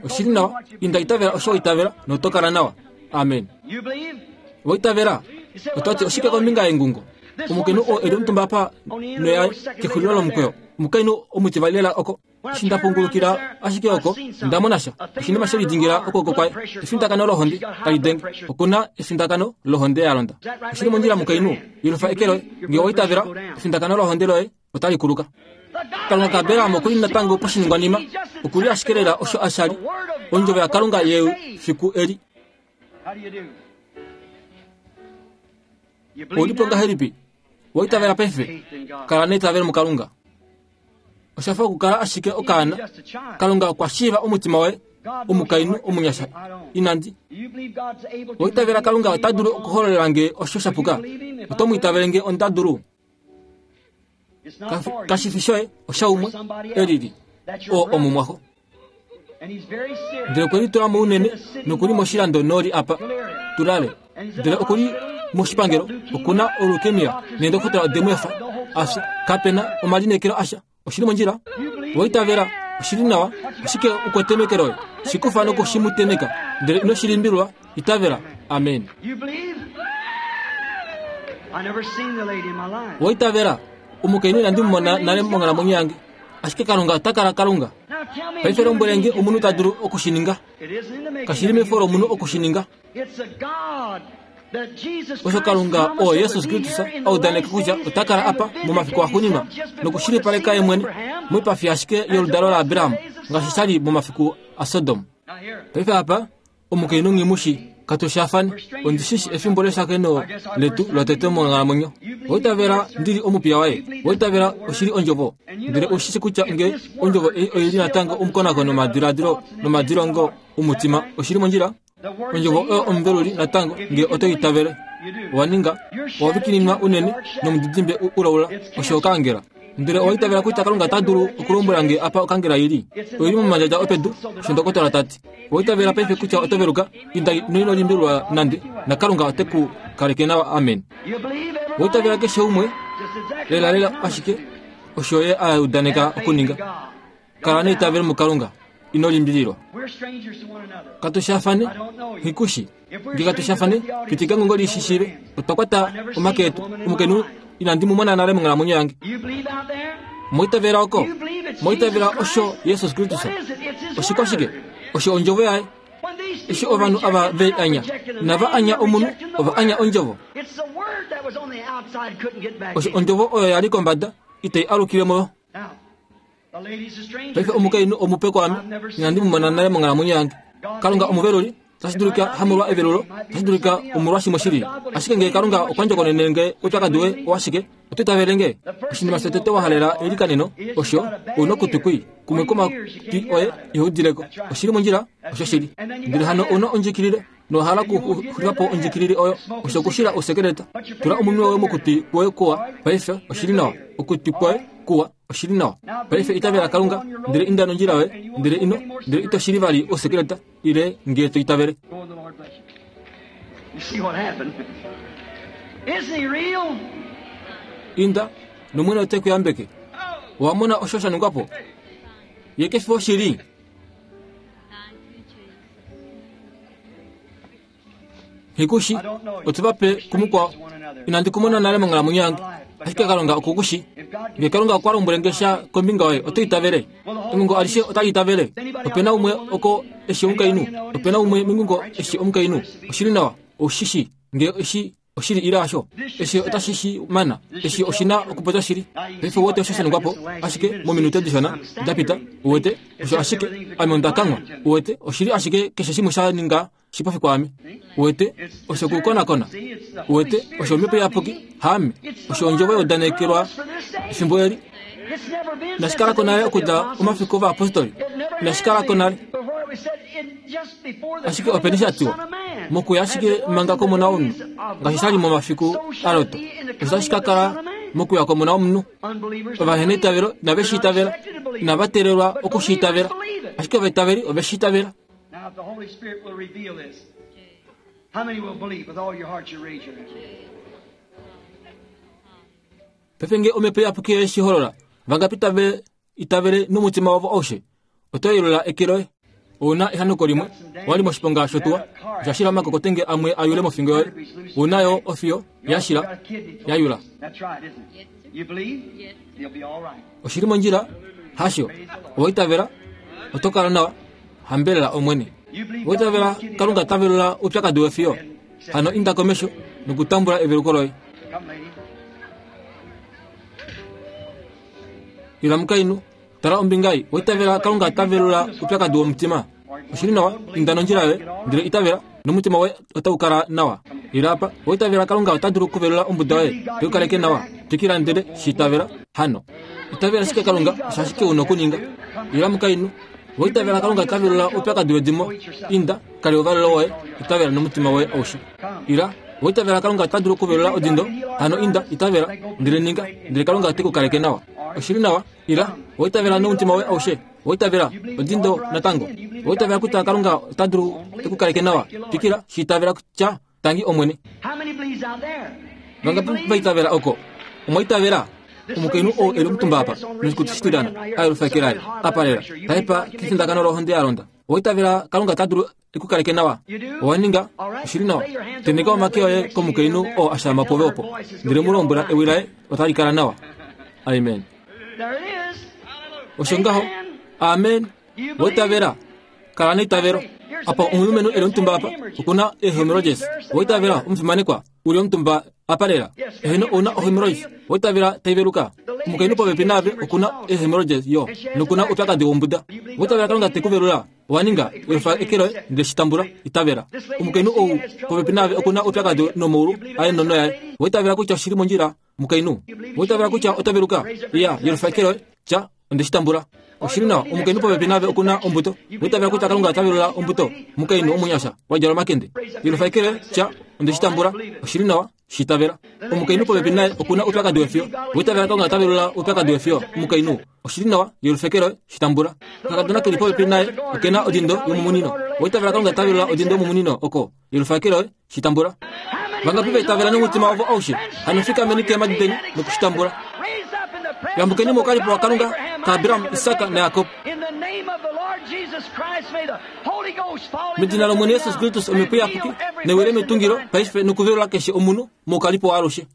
Oshili nawa, inda itavela osho wa itavela noto kala nawa. Amen. Wa itavela? Oto ti oshike kombinga yengungo? Omukainhu oo e li omutumba apa noya kexulilo lomukweyo. Omukainhu omutivali lela oko. Eshi nda pungulukila ashike oko, nda mona sha. Oshinima she lidingila okwooko kwaye. Efindakano lohonde tali denge. Oku na efindakano lohonde ya londa. Oshi li mondjila mukainhu. Yelufa eke loye. Nge owa itavela, efindakano lohonde loye otali kuluka. Kalunga kaAbraham oku li natango poshiningwanima. Oku li ashike lela osho a sha li. Ondjovo yaKalunga yefiku eli. Ou li po ngahelipi? Owa itavela paife? Kala neitavelo muKalunga. Osha fa okukala ashike okaana. Kalunga okwa shiiva omutima woye, omukainhu omunyasha. Inandi. Owa itavela Kalunga ota dulu okuhololela nge osho sha puka? Oto mu itavele nge onda dulu? Kashi fi shoye, oshaumwe e lili, oo omumwaxo. Ndele okwe litula mounene noku li moshilando noli apa tulale. Ndele oku li moshipangelo, oku na olukemia neendokotola ode mu efa a fye. Kape na omalineekelo asha. Oshi li mondjila? Owa itavela? Oshi li nawa. Oshike u kwete meke loye? Shi kufa noku shi mu teneka. Ndele ino shi limbililwa. Itavela. Amen. Owa itavela? Omukainhu inandi mu mona nale monghalamwenyo yange. Ashike Kalunga ota kala Kalunga. Paife lombwele nge omunhu ta dulu oku shi ninga. Kashi li mefo lomunhu oku shi ninga. Osho Kalunga oo Jesus Kristus a udaneka kutya ota kala apa momafiku axuuninwa nokushilipaleka ye mwene moipafi ashike yoludalo laAbraham ngaashi sha li momafiku aSodom. Paife apa omukainhu nghi katushafane ondi shi shi efimbo leshakeno letu lotete monghalamwenyo. Oitavela ndi li omupiya waye, oitavela oshili ondjovo, ndele oushi shi kutya nge ondjovo ei oi li natango omukonakono womadiladilo nomadilongo omutima oshili mondjila. Ondjovo oyo omuveluli natango nge oto itavele. Owa ninga owa vikininwa unene nomudidimbe ulaula osho okangela. Ndele owa itavela kutya Kalunga ota dulu okulombwela nge apa okangela i li. Oi li momandjadja opedu, osho ndokotola ta ti. Owa itavela paife kutya oto veluka, inda noino limbililwa nande, naKalunga ote ku kaleke nawa. Amen. Owa itavela keshe umwe, lelalela ashike osho Ye a udaneka okuninga. Kala neitavelo muKalunga, ino limbililwa. Katu shafane, nghikushi. Nge katu shafane, pitika ngongo li shi shiive. Otwa kwata omake etu. Omukainhu inandi mu mona nale monghalamwenyo yange. Moitavela oko, moitavela osho Jesus Kristus. Oshikwashike? Osho ondjovo yaye. Eshi ovanhu ava ve anya, inava anya omunhu, ova anya ondjovo. Osho ondjovo oyo ya li kombada, itai alukile mo. Paife omukainhu omupe kwaame, inandi mu mona nale monghalamwenyo yange. Kalunga omuveluli, tashi dulika hamolwa evelulo, tashi dulika omolwa shimwe shili. Ashike ngee Kalunga okwa ndjokonene nge oupyakadi woye owashike, oto itavele nge? Oshinima shotete wa halela eilikaneno, osho, ou na okutwi kwii, kumwe kwomatwi oye iho udile ko. Oshi li mondjila, oshoshili. Ndele hano ou na ondjikilile. Nowa hala okuxulifa po ondjikilile oyo, osho okushila ousekeleta. Tula omunwe woye mokutwi kwoye kuwa paife, oshi li nawa. Okutwi kwoye kuwa, oshi li nawa. Paife itavela Kalunga, ndele inda nondjila yoye, ndele ino, ndele ito shili vali ousekeleta, ile nge to itavele. Inda, nOmwene ote ku yambeke. Owa mona osho sha ningwa po? Ye ke fi oshili? Nghikushi, otu va pe kumukwao. Inandi ku mona nale monghalamwenyo yange, ashike Kalunga oku ku shi. Nge Kalunga okwa lombwele nge sha kombinga yoye, oto itavele? Engungo alishe otali itavele. Ope na umwe oko e shi omukainhu. Ope na umwe mengungo e shi omukainhu. Oshi li nawa. Ou shi shi. Nge eshi oshili ile hasho. Eshi otashi shi mana. Eshi oshi na okupopya shili. Paife uwete osho sha ningwa po, ashike mominute dishona da pita, uwete, osho ashike, ame onda kanghwa. Uwete, oshili ashike keshe shimwe sha ninga shipofi kwaame. Uwete, osho okukonakona. Uwete, osho Omhepo Iyapuki, haame. Osho Ondjovo ya udanekelwa efimbo eli. Inashi kala ko nale okudja omafiku ovayapostoli. Inashi kala ko nale. Ashike openi sha tiwa, Mokuya ashike manga kOmona womunhu, ngaashi sha li momafiku aLot, osho tashi ka kala mokuya kOmona womunhu. Ovaheneitavelo inave shi itavela, inava teelelwa oku shi itavela, ashike ovaitaveli ove shi itavela. Paife nge Omhepo Iyapuki oye shi holola, vangapi tave itavele nomutima wavo aushe? Oto yelula eke loye. Ou na ehanuko limwe, wa li moshiponga shotuwa, osha shila omakokotenge amwe a yule mofingo yoye. Ou na yo ofiyo ya shila ya yula. Oshi li mondjila, hasho? Owa itavela, oto kala nawa. Hambelela Omwene. Owa itavela Kalunga ta velula oupyakadi wefiyo? Hano inda komesho nokutambula eveluko loye. Ila mukainhu. Tala ombinga ei, owa itavela Kalunga ta velula oupyakadi womutima? Oshi li nawa, inda nondjila yoye, ndele itavela, nomutima woye otau kala nawa. Ila apa, owa itavela Kalunga ota dulu okuvelula ombuda yoye, te u kaleke nawa. Twikila ndele shi itavela. Hano. Itavela ashike Kalunga, osho ashike u na okuninga. Ila mukainhu, owa itavela Kalunga ta velula oupyakadi wedimo? Inda, kale ouvalelo woye, itavela nomutima woye aushe. Ila, owa itavela Kalunga ota dulu okuvelula odindo? Hano inda, itavela, ndele ninga, ndele Kalunga ote ku kaleke nawa. Oshi li nawa. Ila, owa itavela nomutima woye aushe. Owa itavela odindo natango. Owa itavela kutya Kalunga ota dulu e ku kaleke nawa. Twikila, shi itavela kutya tangi Omwene. Vangapi va itavela oko? Omwa itavela? Omukainhu oo e li omutumba apa, noshikutu shitilyana, a yelufa eke laye, a palela, ta hepa kefindakano lohonde ya londa. Owa itavela Kalunga ota dulu e ku kaleke nawa? Owa ninga? Oshi li nawa. Tenheka omake oye komukainhu oo a shaama pove opo, ndele mu lombwela ewi laye otali kala nawa. Amen. Osho ngaho. Amen. Owa itavela? Kala neitavelo. Apa omulumenhu e li omutumba apa oku na eehemorrhoids. Owa itavela, omufimanekwa, u li omutumba apa lela? Eheno, ou na ohemorrhoids. Owa itavela tai veluka? Omukainhu popepi naave oku na eehemorrhoids yo, noku na oupyakadi wombuda. Owa itavela Kalunga te ku velula? Owa ninga, wefa eke loye ndele shi tambula. Itavela. Omukainhu ou popepi naave oku na oupyakadi nomaulu aye nono yaye. Owa itavela kutya oshi li mondjila, mukainhu? Owa itavela kutya ota veluka? Iya, yelufa eke loye, tya, Onde shi tambula. Oshi li nawa. Omukainhu popepi naave oku na ombuto. Owa itavela kutya Kalunga ota velula ombuto? Omukainhu omunyasha, wa djala omakende. Yelufa eke loye, tya, Onde shi tambula. Oshi li nawa. Shi itavela. Omukainhu popepi naye oku na oupyakadi wefiyo. Owa itavela Kalunga ota velula oupyakadi wefiyo? Omukainhu, oshi li nawa. Yelufa eke loye, shi tambula. Okakadona ke li popepi naye oke na odindo yomumunino. Owa itavela Kalunga ota velula odindo yomumunino oko? Yelufa eke loye, shi tambula. Vangapi va itavela nomutima wavo aushe? Hano fikameni keemhadi deni noku shi tambula. Yambukeni moukalipo waKalunga kaAbraham, Isak naJakob. Medina lOmwene Jesus Kristus Omhepo Iyapuki nai wile metungilo paife nokuvelula keshe omunhu moukalipo waalushe.